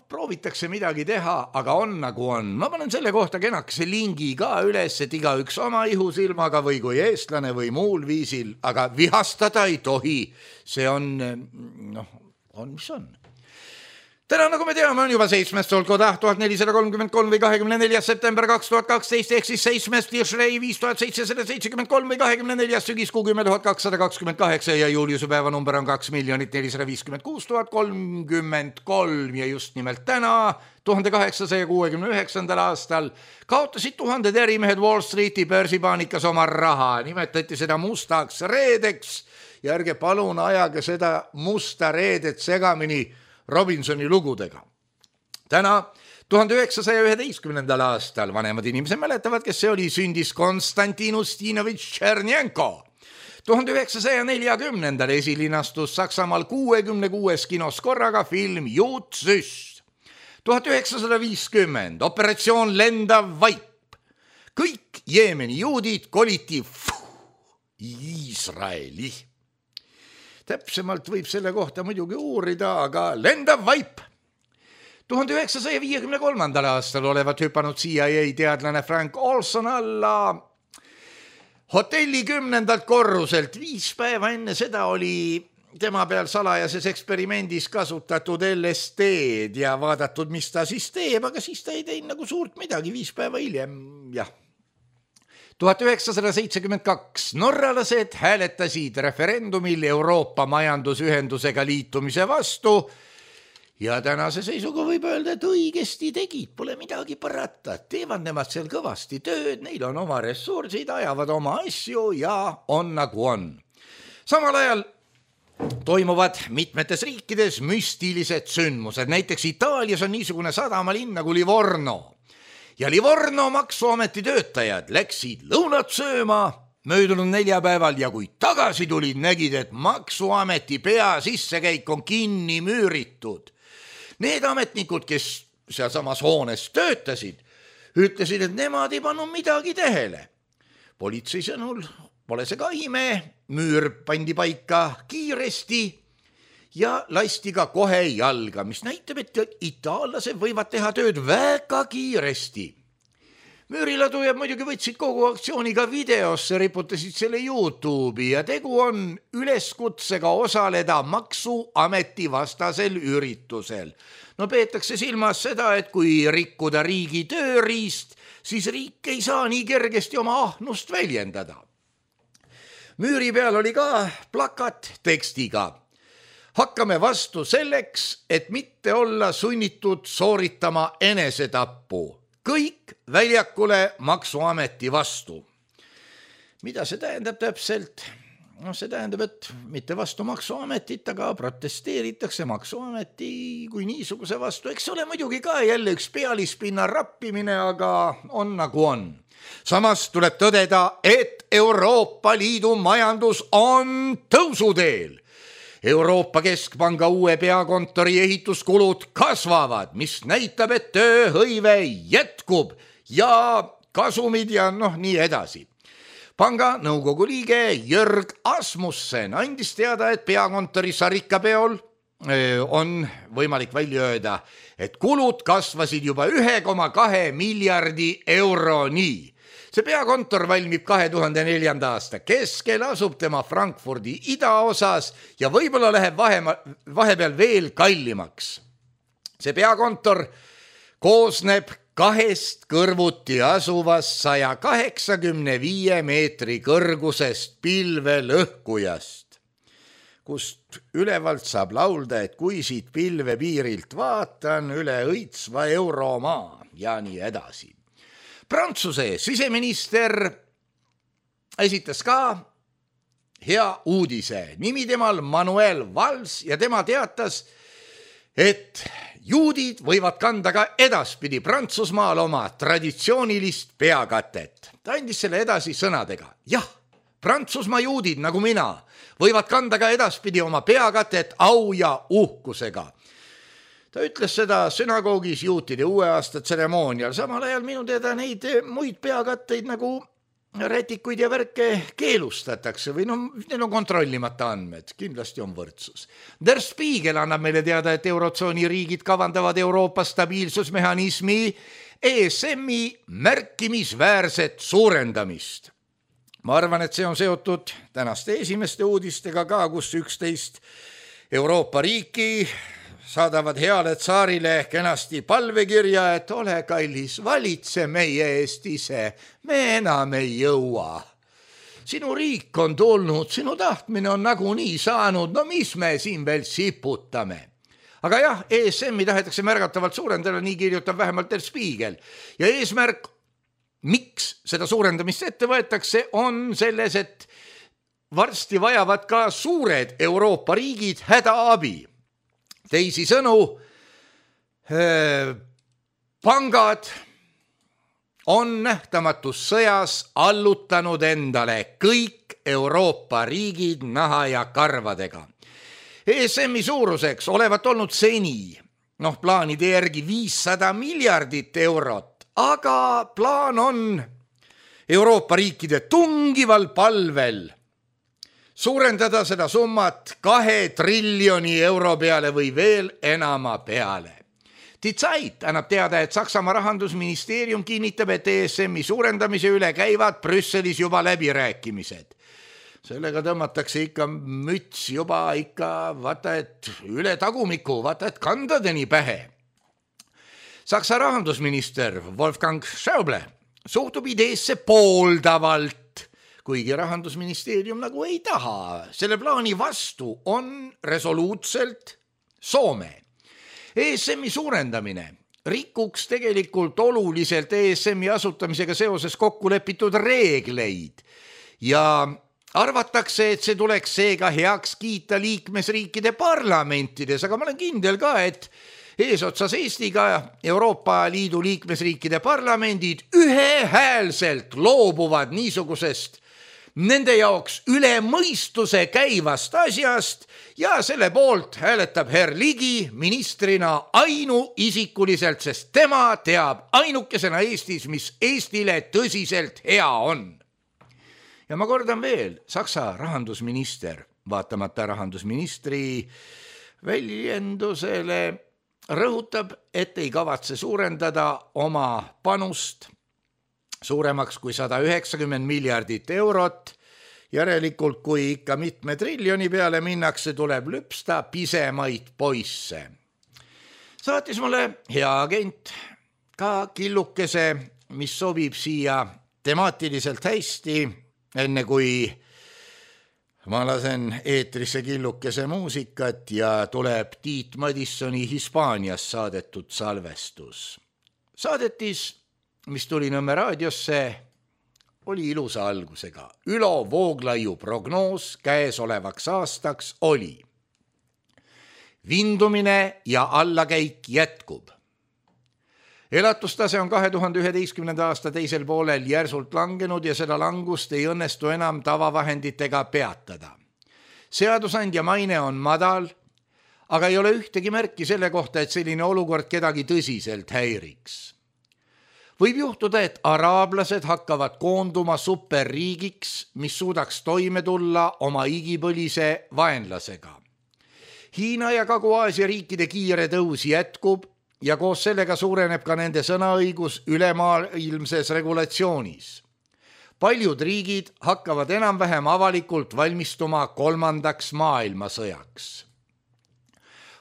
proovitakse midagi teha, aga on nagu on. Ma panen selle kohta kenakese lingi ka üles, et igaüks oma ihusilmaga või kui eestlane või muul viisil, aga vihastada ei tohi. See on, mis on. Täna, nagu me teame, on juba 7. Solkoda 1433 või 24. september 2012 ehk siis 7. Tishrei 5773 või 24. sügiskuu 10.228 ja Juliuse päeva number on 2,456,033 ja just nimelt täna, 1869. aastal, kaotasid tuhanded ärimehed Wall Streeti börsipaanikas oma raha, nimetati seda mustaks reedeks ja ärge palun ajage seda musta reedet segamini Robinsoni lugudega. Täna 1911. aastal, vanemad inimesed mäletavad, kes see oli, sündis Konstantin Ustinovitš Tšernjenko. 1940. esilinastus Saksamaal 66 kinos korraga film Jutsüst. 1950. operatsioon Lendav vaip. Kõik Jeemeni juudid koliti Iisraeli. Täpsemalt võib selle kohta muidugi uurida, aga lendav vaip. 1953. aastal olevat hüpanud CIA teadlane Frank Olson alla hotelli 10. korruselt. 5 päeva enne seda oli tema peal salajases eksperimendis kasutatud LSD-d ja vaadatud, mis ta siis teeb, aga siis ta ei teinud nagu suurt midagi 5 päeva hiljem, 1972 norralased hääletasid referendumil Euroopa majandusühendusega liitumise vastu ja tänase seisuga võib öelda, et õigesti tegid, pole midagi parata. Teevad nemad seal kõvasti tööd, neil on oma ressursid, ajavad oma asju ja on nagu on. Samal ajal toimuvad mitmetes riikides müstilised sündmused. Näiteks Itaalias on niisugune sadamalinn nagu Livorno. Ja Livorno maksuameti töötajad läksid lõunat sööma möödunud neljapäeval ja kui tagasi tulid, nägid, et maksuameti pea sissekäik on kinni müüritud. Need ametnikud, kes sealsamas hoones töötasid, ütlesid, et nemad ei pannud midagi tähele. Politsei sõnul pole see ka ime, müür pandi paika kiiresti ja lasti ka kohe jalga, mis näitab, et itaallased võivad teha tööd väga kiiresti. Müüriladujad muidugi võtsid kogu aktsiooniga videosse, riputasid selle YouTube'i ja tegu on üleskutsega osaleda maksuameti vastasel üritusel. Peetakse silmas seda, et kui rikkuda riigi tööriist, siis riik ei saa nii kergesti oma ahnust väljendada. Müüri peal oli ka plakat tekstiga: hakkame vastu selleks, et mitte olla sunnitud sooritama enesetappu. Kõik väljakule maksuameti vastu. Mida see tähendab täpselt? see tähendab, et mitte vastu maksuametit, aga protesteeritakse maksuameti kui niisuguse vastu. Eks ole muidugi ka jälle üks pealispinna rappimine, aga on nagu on. Samas tuleb tõdeda, et Euroopa Liidu majandus on tõusuteel. Euroopa Keskpanga uue peakontori ehituskulud kasvavad, mis näitab, et tööhõive jätkub ja kasumid ja nii edasi. Panga nõukogu liige Jörg Asmussen andis teada, et peakontori sarikapeol on võimalik välja öelda, et kulud kasvasid juba 1,2 miljardi euroni. See peakontor valmib 2004. aasta keskel, asub tema Frankfurdi idaosas ja võib-olla läheb vahepeal veel kallimaks. See peakontor koosneb 2 kõrvuti asuvast 185 meetri kõrgusest pilvelõhkujast, kust ülevalt saab laulda, et kui siit pilvepiirilt vaatan üle õitsva euromaa ja nii edasi. Prantsuse siseminister esitas ka hea uudise. Nimi temal Manuel Valls ja tema teatas, et juudid võivad kanda ka edaspidi Prantsusmaal oma traditsioonilist peakatet. Ta andis selle edasi sõnadega. Jah, Prantsusmaa juudid nagu mina võivad kanda ka edaspidi oma peakatet au ja uhkusega. Ta ütles seda sünagoogis juutide uue aasta tseremoonial. Samal ajal minu teada neid muid peakatteid nagu rätikuid ja värke keelustatakse või neil on kontrollimata andmed, kindlasti on võrdsus. Der Spiegel annab meile teada, et eurotsooni riigid kavandavad Euroopa stabiilsusmehhanismi ESM-i märkimisväärset suurendamist. Ma arvan, et see on seotud tänaste esimeste uudistega ka, kus 11 Euroopa riiki saadavad heale tsaarile kenasti palvekirja, et ole kallis, valitse meie eest ise, me enam ei jõua. Sinu riik on tulnud, sinu tahtmine on nagunii saanud, mis me siin veel siputame. Aga jah, ESM-i tahetakse märgatavalt suurendada, nii kirjutab vähemalt Der Spiegel. Ja eesmärk, miks seda suurendamist ette võetakse, on selles, et varsti vajavad ka suured Euroopa riigid hädaabi. Teisi sõnu, pangad on nähtamatus sõjas allutanud endale kõik Euroopa riigid naha ja karvadega. ESM-i suuruseks olevat olnud seni, plaanide järgi 500 miljardit eurot, aga plaan on Euroopa riikide tungival palvel suurendada seda summat 2 triljoni euro peale või veel enama peale. Die Zeit annab teada, et Saksamaa rahandusministeerium kinnitab, et ESM-i suurendamise üle käivad Brüsselis juba läbirääkimised. Sellega tõmmatakse ikka müts juba vaata, et üle tagumiku, vaata, et kandadeni pähe. Saksa rahandusminister Wolfgang Schäuble suhtub ideesse pooldavalt, kuigi rahandusministeerium nagu ei taha. Selle plaani vastu on resoluutselt Soome. ESM-i suurendamine rikuks tegelikult oluliselt ESM-i asutamisega seoses kokku lepitud reegleid ja arvatakse, et see tuleks seega heaks kiita liikmesriikide parlamentides, aga ma olen kindel ka, et eesotsas Eestiga Euroopa Liidu liikmesriikide parlamendid ühehäälselt loobuvad niisugusest nende jaoks üle mõistuse käivast asjast ja selle poolt hääletab herr Ligi ministrina ainuisikuliselt, sest tema teab ainukesena Eestis, mis Eestile tõsiselt hea on. Ja ma kordan veel, Saksa rahandusminister, vaatamata rahandusministri väljendusele, rõhutab, et ei kavatse suurendada oma panust suuremaks kui 190 miljardit eurot. Järelikult, kui ikka mitme triljoni peale minnakse, tuleb lüpsta pisemaid poisse. Saatis mulle hea agent ka killukese, mis sobib siia temaatiliselt hästi, enne kui ma lasen eetrisse killukese muusikat ja tuleb Tiit Madissoni Hispaanias saadetud salvestus. Saadetis, mis tuli Nõmme raadiosse, oli ilusa algusega. Ülo Vooglaiu prognoos käesolevaks aastaks oli: vindumine ja allakäik jätkub. Elatustase on 2011. aasta teisel poolel järsult langenud ja seda langust ei õnnestu enam tavavahenditega peatada. Seadusandja maine on madal, aga ei ole ühtegi märki selle kohta, et selline olukord kedagi tõsiselt häiriks. Võib juhtuda, et araablased hakkavad koonduma superriigiks, mis suudaks toime tulla oma igipõlise vaenlasega. Hiina ja Kagu-Aasia riikide kiire tõus jätkub ja koos sellega suureneb ka nende sõnaõigus ülemaailmses regulatsioonis. Paljud riigid hakkavad enam-vähem avalikult valmistuma 3. maailmasõjaks.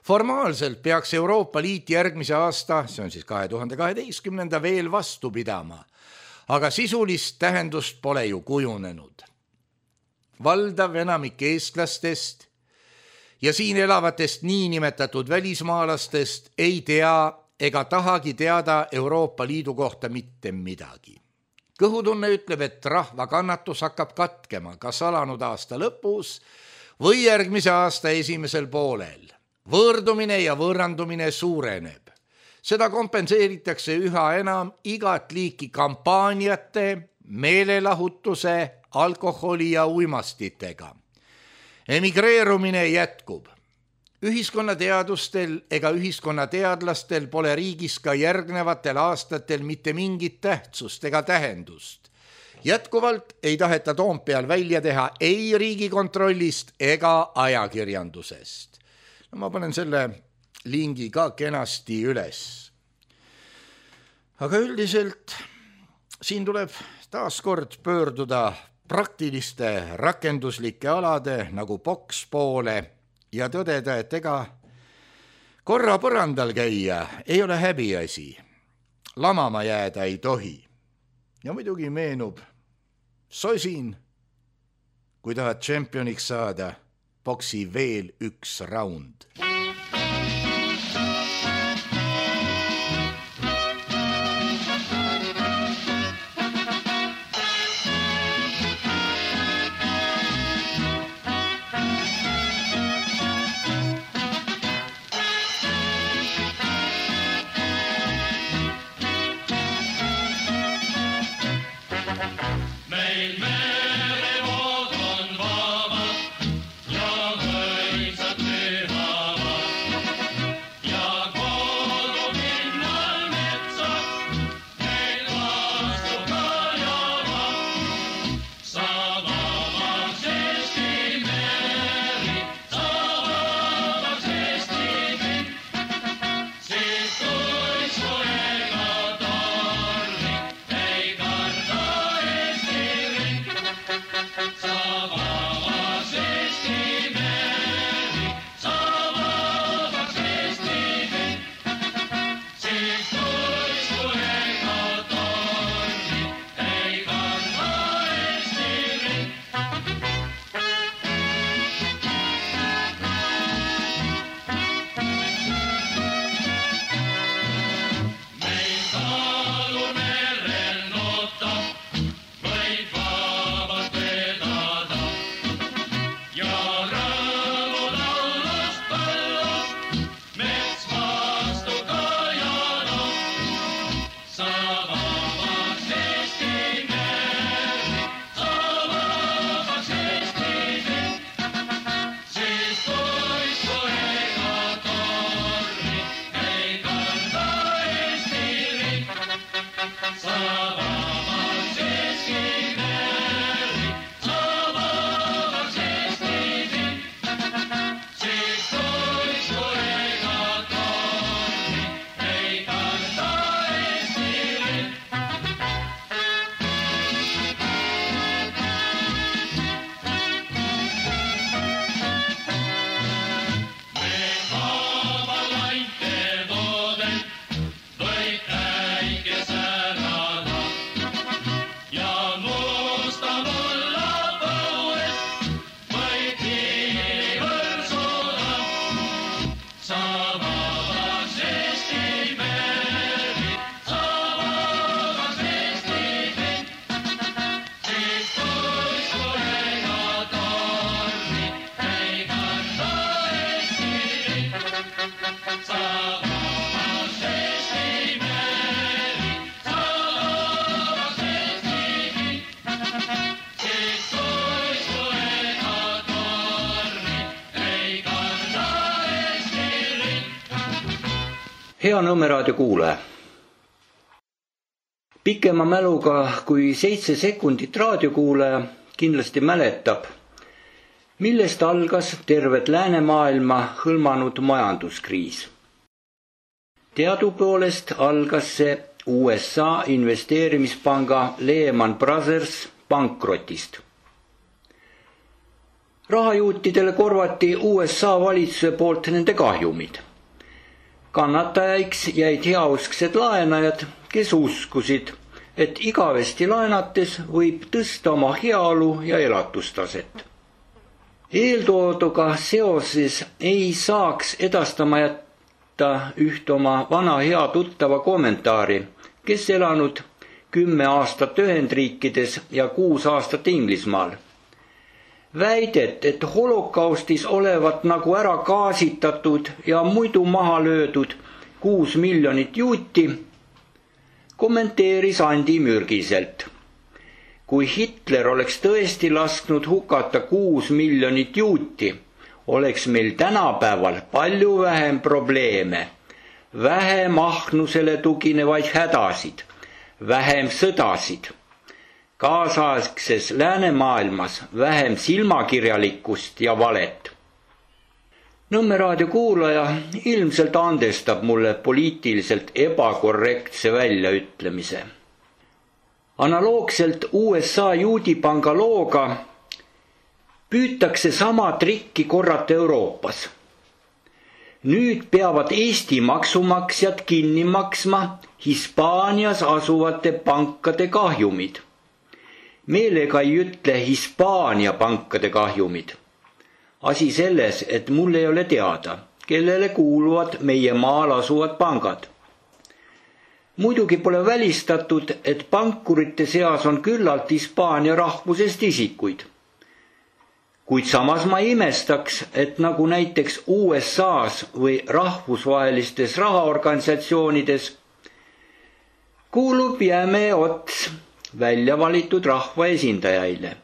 Formaalselt peaks Euroopa Liit järgmise aasta, see on siis 2012, veel vastu pidama, aga sisulist tähendust pole ju kujunenud. Valdav enamik eestlastest ja siin elavatest niinimetatud välismaalastest ei tea ega tahagi teada Euroopa Liidu kohta mitte midagi. Kõhutunne ütleb, et rahva kannatus hakkab katkema kas alanud aasta lõpus või järgmise aasta esimesel poolel. Võõrdumine ja võõrandumine suureneb. Seda kompenseeritakse üha enam igat liiki kampaaniate, meelelahutuse, alkoholi ja uimastitega. Emigreerumine jätkub. Ühiskonnateadustel ega ühiskonnateadlastel pole riigis ka järgnevatel aastatel mitte mingit tähtsust ega tähendust. Jätkuvalt ei taheta Toompeal välja teha ei Riigikontrollist ega ajakirjandusest. No, ma panen selle lingi ka kenasti üles. Aga üldiselt siin tuleb taas kord pöörduda praktiliste rakenduslike alade nagu boks poole ja tõdeda, et ega korra põrandal käia ei ole häbiasi. Lamama jääda ei tohi. Ja muidugi meenub sosin, kui tahad tšempioniks saada, boksi veel üks raund. Merevood on vabad ja mõisad pühavad. Hea Nõmme raadio kuulaja. Pikema mäluga kui 7 sekundit raadiokuulaja kindlasti mäletab, millest algas tervet läänemaailma hõlmanud majanduskriis. Teadupoolest algas see USA investeerimispanga Lehman Brothers pankrotist. Rahajuutidele korvati USA valitsuse poolt nende kahjumid. Kannatajaiks jäid heausksed laenajad, kes uskusid, et igavesti laenates võib tõsta oma heaolu ja elatustaset. Eeltooduga seoses ei saaks edastama jätta üht oma vana hea tuttava kommentaari, kes elanud 10 aastat Ühendriikides ja 6 aastat Inglismaal. Väidet, et holokaustis olevat nagu ära gaasitatud ja muidu maha löödud 6 miljonit juuti, kommenteeris Andi mürgiselt. Kui Hitler oleks tõesti lasknud hukata 6 miljonit juuti, oleks meil tänapäeval palju vähem probleeme, vähem ahnusele tuginevaid hädasid, vähem sõdasid. Kaasaegses läänemaailmas vähem silmakirjalikkust ja valet. Nõmme raadio kuulaja ilmselt andestab mulle poliitiliselt ebakorrektse väljaütlemise. Analoogselt USA juudipanga looga püütakse sama trikki korrata Euroopas. Nüüd peavad Eesti maksumaksjad kinni maksma Hispaanias asuvate pankade kahjumid. Meelega ei ütle Hispaania pankade kahjumid. Asi selles, et mul ei ole teada, kellele kuuluvad meie maal asuvad pangad. Muidugi pole välistatud, et pankurite seas on küllalt Hispaania rahvusest isikuid. Kuid samas ma imestaks, et nagu näiteks USAs või rahvusvahelistes rahaorganisatsioonides kuulub jäme ots välja valitud rahva esindajaile.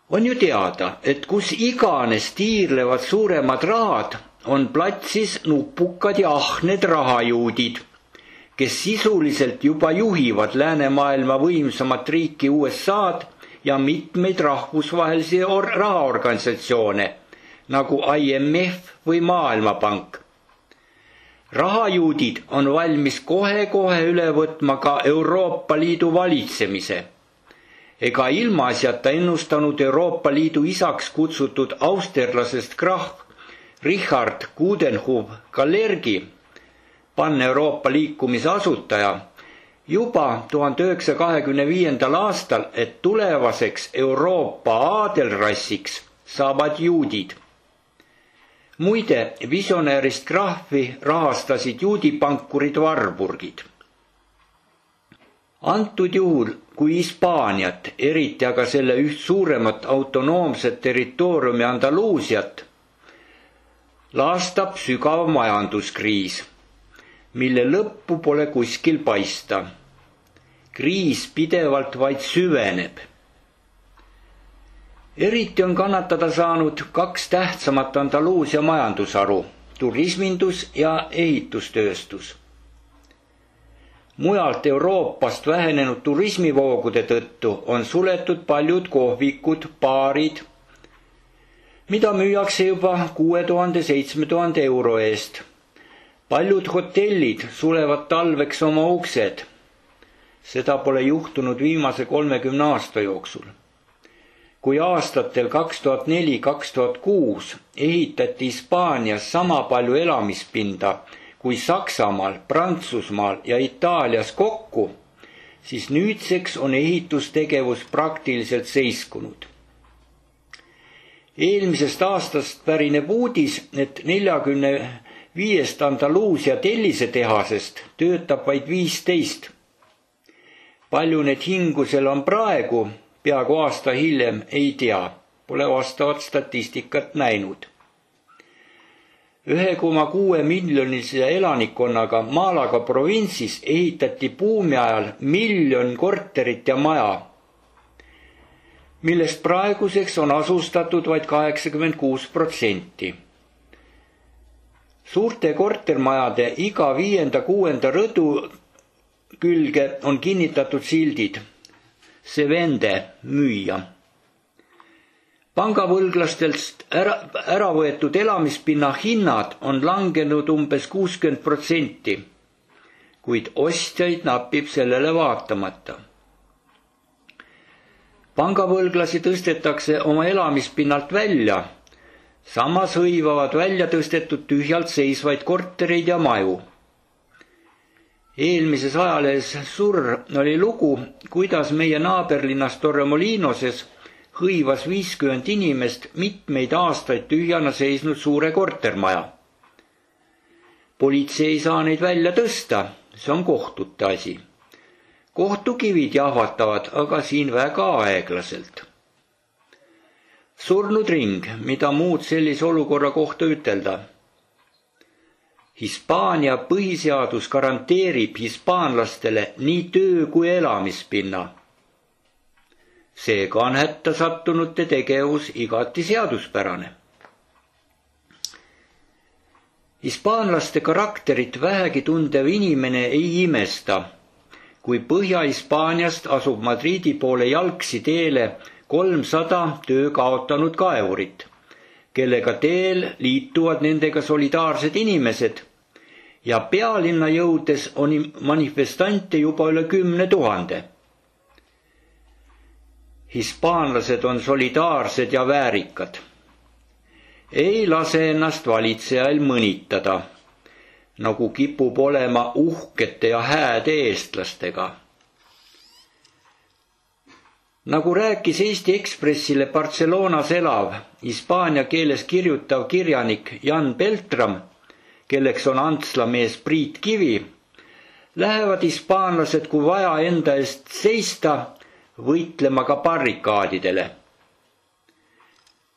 On ju teada, et kus iganes tiirlevad suuremad rahad, on platsis nupukad ja ahned rahajuudid, kes sisuliselt juba juhivad läänemaailma võimsamat riiki USA'd ja mitmeid rahvusvahelisi rahaorganisatsioone, nagu IMF või Maailmapank. Rahajuudid on valmis kohe-kohe üle võtma ka Euroopa Liidu valitsemise. Ega ilmaasjata ennustanud Euroopa Liidu isaks kutsutud austerlasest krahv Richard Coudenhove-Kalergi, Pan-Euroopa liikumise asutaja, juba 1925. aastal, et tulevaseks Euroopa aadelrassiks saavad juudid. Muide, visionäärist krahvi rahastasid juudipankurid Warburgid. Antud juhul, kui Hispaaniat, eriti aga selle üht suuremat autonoomset territooriumi Andaluusiat, laastab sügav majanduskriis, mille lõppu pole kuskil paista. Kriis pidevalt vaid süveneb. Eriti on kannatada saanud 2 tähtsamat Andaluusia majandusharu, turismindus ja ehitustööstus. Mujalt Euroopast vähenenud turismivoogude tõttu on suletud paljud kohvikud, baarid, mida müüakse juba 6000–7000 euro eest. Paljud hotellid sulevad talveks oma uksed. Seda pole juhtunud viimase 30 aasta jooksul. Kui aastatel 2004–2006 ehitati Hispaanias sama palju elamispinda kui Saksamaal, Prantsusmaal ja Itaalias kokku, siis nüüdseks on ehitustegevus praktiliselt seiskunud. Eelmisest aastast pärineb uudis, et 45 Andaluusia tellisetehasest töötab vaid 15. Palju need hingusel on praegu, peaaegu aasta hiljem ei tea, pole vastavat statistikat näinud. 1,6 miljonilise elanikkonnaga Malaga provintsis ehitati buumi ajal 1 miljon korterit ja maja, millest praeguseks on asustatud vaid 86%. Suurte kortermajade iga 5.–6. rõdu külge on kinnitatud sildid. See vende müüja. Pangavõlglastelt ära võetud elamispinna hinnad on langenud umbes 60%, kuid ostjaid napib sellele vaatamata. Pangavõlglasi tõstetakse oma elamispinnalt välja, samas hõivavad välja tõstetud tühjalt seisvaid kortereid ja maju. Eelmises ajalehes Surr oli lugu, kuidas meie naaberlinnas Torremolinos'es hõivas 50 inimest mitmeid aastaid tühjana seisnud suure kortermaja. Politsei ei saa neid välja tõsta, see on kohtute asi. Kohtukivid jahvatavad, aga siin väga aeglaselt. Surnud ring, mida muud sellise olukorra kohta ütelda. Hispaania põhiseadus garanteerib hispaanlastele nii töö kui elamispinna. Seega on hätta sattunute tegevus igati seaduspärane. Hispaanlaste karakterit vähegi tundev inimene ei imesta, kui Põhja-Hispaaniast asub Madridi poole jalgsi teele 300 töö kaotanud kaevurit, kellega teel liituvad nendega solidaarsed inimesed ja pealinna jõudes on manifestante juba üle 10 000. Hispaanlased on solidaarsed ja väärikad. Ei lase ennast valitsejail mõnitada, nagu kipub olema uhkete ja hääde eestlastega. Nagu rääkis Eesti Ekspressile Barcelonas elav, hispaania keeles kirjutav kirjanik Jan Beltram, kelleks on antslamees Priit Kivi, lähevad hispaanlased, kui vaja enda eest seista, võitlema ka barrikaadidele.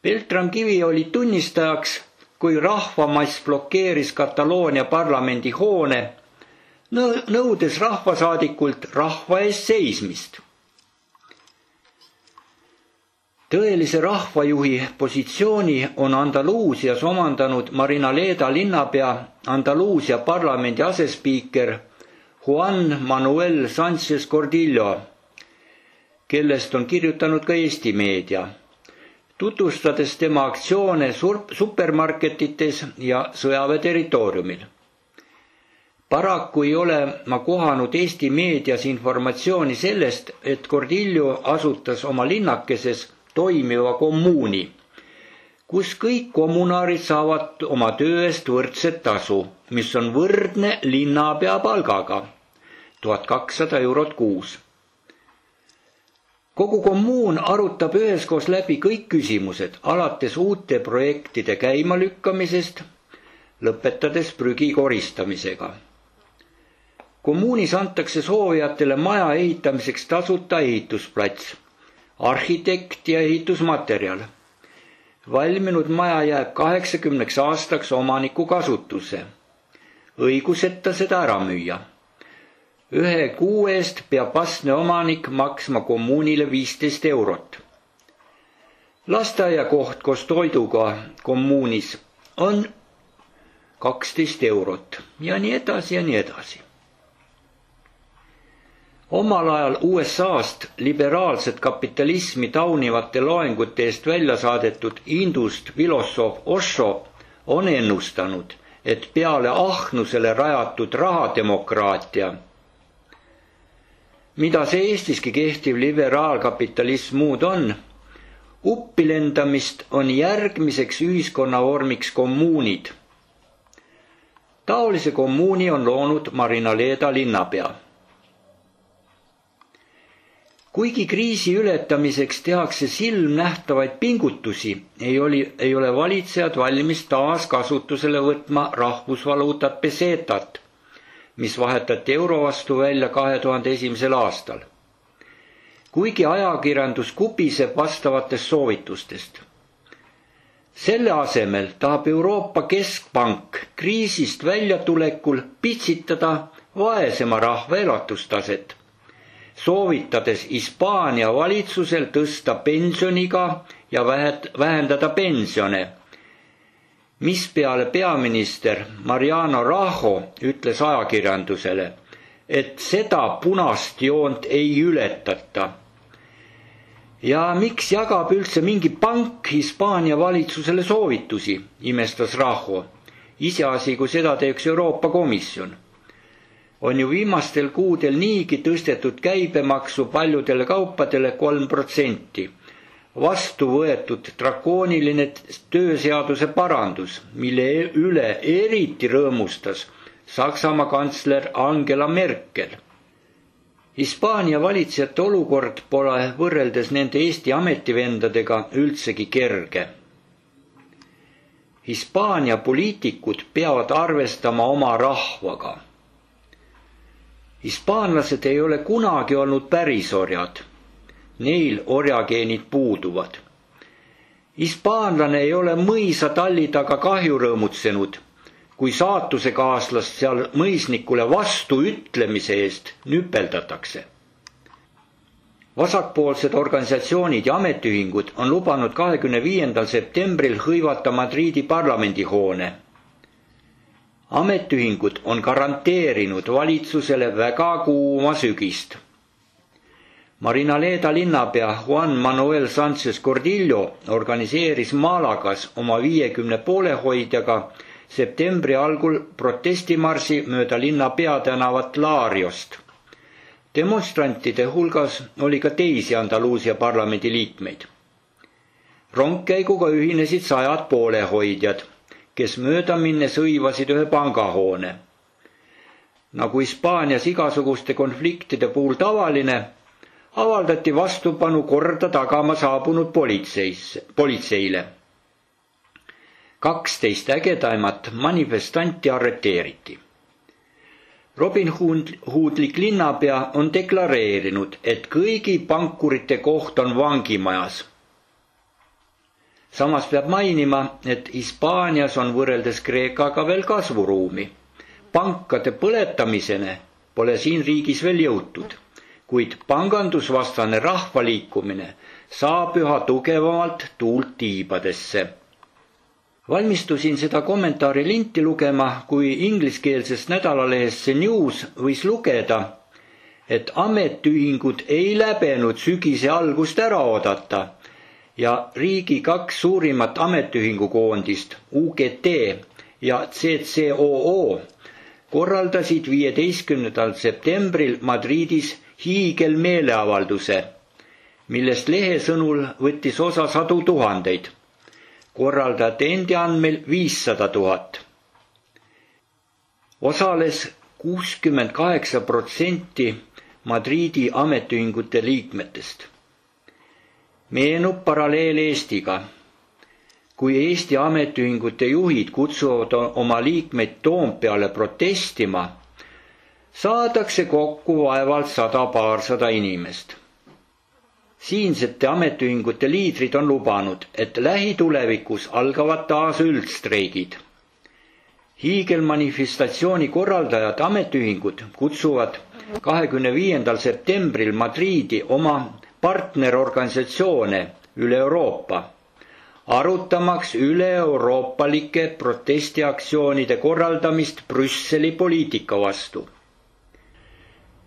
Beltram Kivi oli tunnistajaks, kui rahvamass blokeeris Kataloonia parlamendi hoone, nõudes rahvasaadikult rahva eest seismist. Tõelise rahvajuhi positsiooni on Andaluusias omandanud Marinaleda linnapea, Andaluusia parlamendi asespiiker Juan Manuel Sánchez Cordillo, kellest on kirjutanud ka Eesti meedia, tutvustades tema aktsioone supermarketites ja sõjaväe territooriumil. Paraku ei ole ma kohanud Eesti meedias informatsiooni sellest, et Cordillo asutas oma linnakeses toimiva kommuuni, kus kõik kommunaarid saavad oma töö eest võrdset tasu, mis on võrdne linnapea palgaga, 1200 eurot kuus. Kogu kommuun arutab üheskoos läbi kõik küsimused, alates uute projektide käimalükkamisest, lõpetades prügi koristamisega. Kommuunis antakse soovijatele maja ehitamiseks tasuta ehitusplats, arhitekt ja ehitusmaterjal. Valminud maja jääb 80 aastaks omaniku kasutusse, õiguseta seda ära müüa. 1 kuu eest peab vastne omanik maksma kommuunile 15 eurot. Lasteaiakoht koos toiduga kommuunis on 12 eurot ja nii edasi ja nii edasi. Omal ajal USA-st liberaalset kapitalismi taunivate loengute eest välja saadetud indust filosoof Osho on ennustanud, et peale ahnusele rajatud rahademokraatia, mida see Eestiski kehtiv liberaalkapitalism muud on, uppilendamist on järgmiseks ühiskonnavormiks kommuunid. Taolise kommuuni on loonud Marinaleda linnapea. Kuigi kriisi ületamiseks tehakse silmnähtavaid pingutusi, ei ole valitsejad valmis taas kasutusele võtma rahvusvaluutat pesetat, mis vahetati euro vastu välja 2001. aastal. Kuigi ajakirjandus kubiseb vastavatest soovitustest. Selle asemel tahab Euroopa Keskpank kriisist väljatulekul pitsitada vaesema rahva elatustaset, soovitades Hispaania valitsusel tõsta pensioniga ja vähendada pensione, mispeale peaminister Mariano Rajoy ütles ajakirjandusele, et seda punast joont ei ületata. Ja miks jagab üldse mingi pank Hispaania valitsusele soovitusi, imestas Rajoy, iseasi, kui seda teeks Euroopa Komisjon. On ju viimastel kuudel niigi tõstetud käibemaksu paljudele kaupadele 3%. Vastu võetud drakooniline tööseaduse parandus, mille üle eriti rõõmustas Saksamaa kantsler Angela Merkel. Hispaania valitsejate olukord pole võrreldes nende Eesti ametivendadega üldsegi kerge. Hispaania poliitikud peavad arvestama oma rahvaga. Hispaanlased ei ole kunagi olnud pärisorjad. Neil orjageenid puuduvad. Hispaanlane ei ole mõisa talli taga kahju rõõmutsenud, kui saatusekaaslast seal mõisnikule vastu ütlemise eest nüpeldatakse. Vasakpoolsed organisatsioonid ja ametiühingud on lubanud 25. septembril hõivata Madridi parlamendihoone. Ametiühingud on garanteerinud valitsusele väga kuuma sügist. Marinaleda linnapea Juan Manuel Sánchez Cordillo organiseeris Malagas oma 50 poolehoidjaga septembri algul protestimarsi mööda linna peatänavat Lariost. Demonstrantide hulgas oli ka teisi Andaluusia parlamendi liikmeid. Rongkäiguga ühinesid 100 poolehoidjad, kes mööda minnes hõivasid ühe pangahoone. Nagu Hispaanias igasuguste konfliktide puhul tavaline, avaldati vastupanu korda tagama saabunud politseile. 12 ägedaimat manifestanti arreteeriti. Robin Hoodlik linnapea on deklareerinud, et kõigi pankurite koht on vangimajas. Samas peab mainima, et Hispaanias on võrreldes Kreekaga veel kasvuruumi. Pankade põletamisene pole siin riigis veel jõutud, kuid pangandusvastane rahvaliikumine saab üha tugevamalt tuult tiibadesse. Valmistusin seda kommentaari linti lugema, kui ingliskeelsest nädalalehest See News võis lugeda, et ametiühingud ei läbenud sügise algust ära oodata ja riigi 2 suurimat ametiühingukoondist, UGT ja CCOO, korraldasid 15. septembril Madridis hiigelmeeleavalduse, millest lehe sõnul võttis osa 100 000, korraldajate endi andmel 500 000. Osales 68% Madridi ametiühingute liikmetest. Meenub paralleel Eestiga. Kui Eesti ametiühingute juhid kutsuvad oma liikmeid Toompeale protestima, saadakse kokku vaevalt 100-200 inimest. Siinsete ametiühingute liidrid on lubanud, et lähitulevikus algavad taas üldstreigid. Hiigelmanifestatsiooni korraldajad ametiühingud kutsuvad 25. septembril Madridi oma partnerorganisatsioone üle Euroopa, arutamaks üle-euroopalike protestiaktsioonide korraldamist Brüsseli poliitika vastu.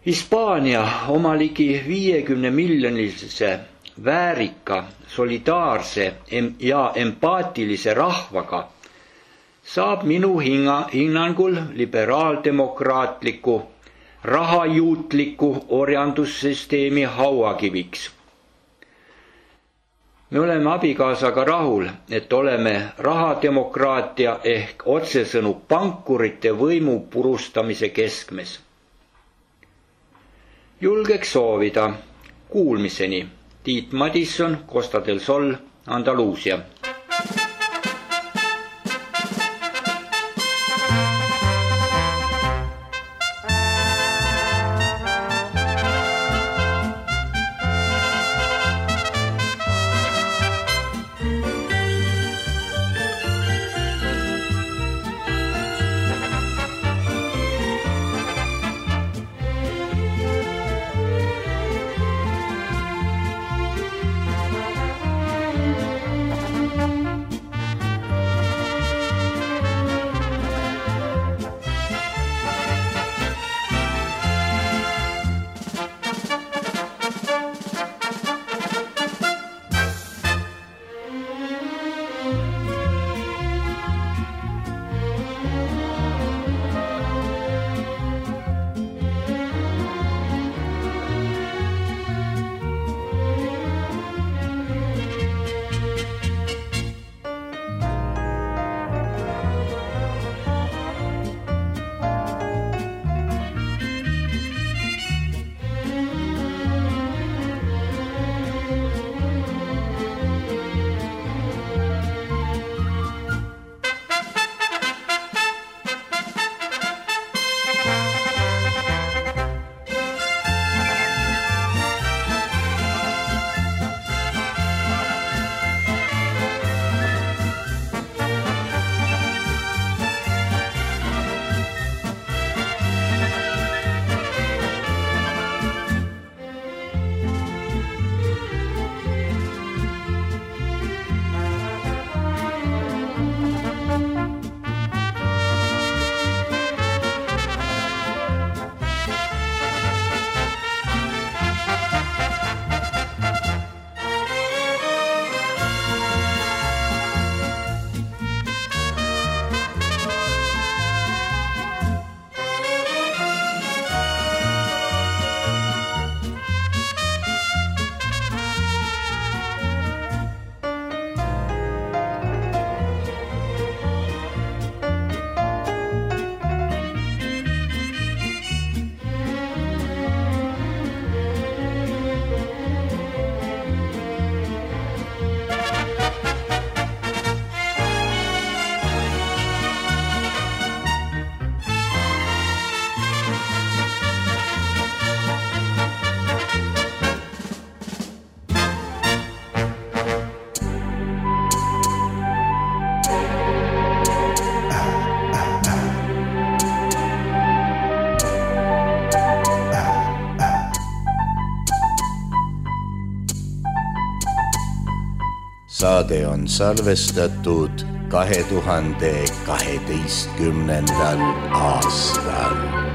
Hispaania oma ligi 50-miljonilise väärika, solidaarse ja empaatilise rahvaga saab minu hinnangul liberaaldemokraatliku, rahajuutliku orjandussüsteemi hauakiviks. Me oleme abikaasaga rahul, et oleme rahademokraatia ehk otsesõnu pankurite võimu purustamise keskmes. Julgeks soovida kuulmiseni. Tiit Madisson, Costa del Sol, Andaluusia. saade on salvestatud 2012. aastal.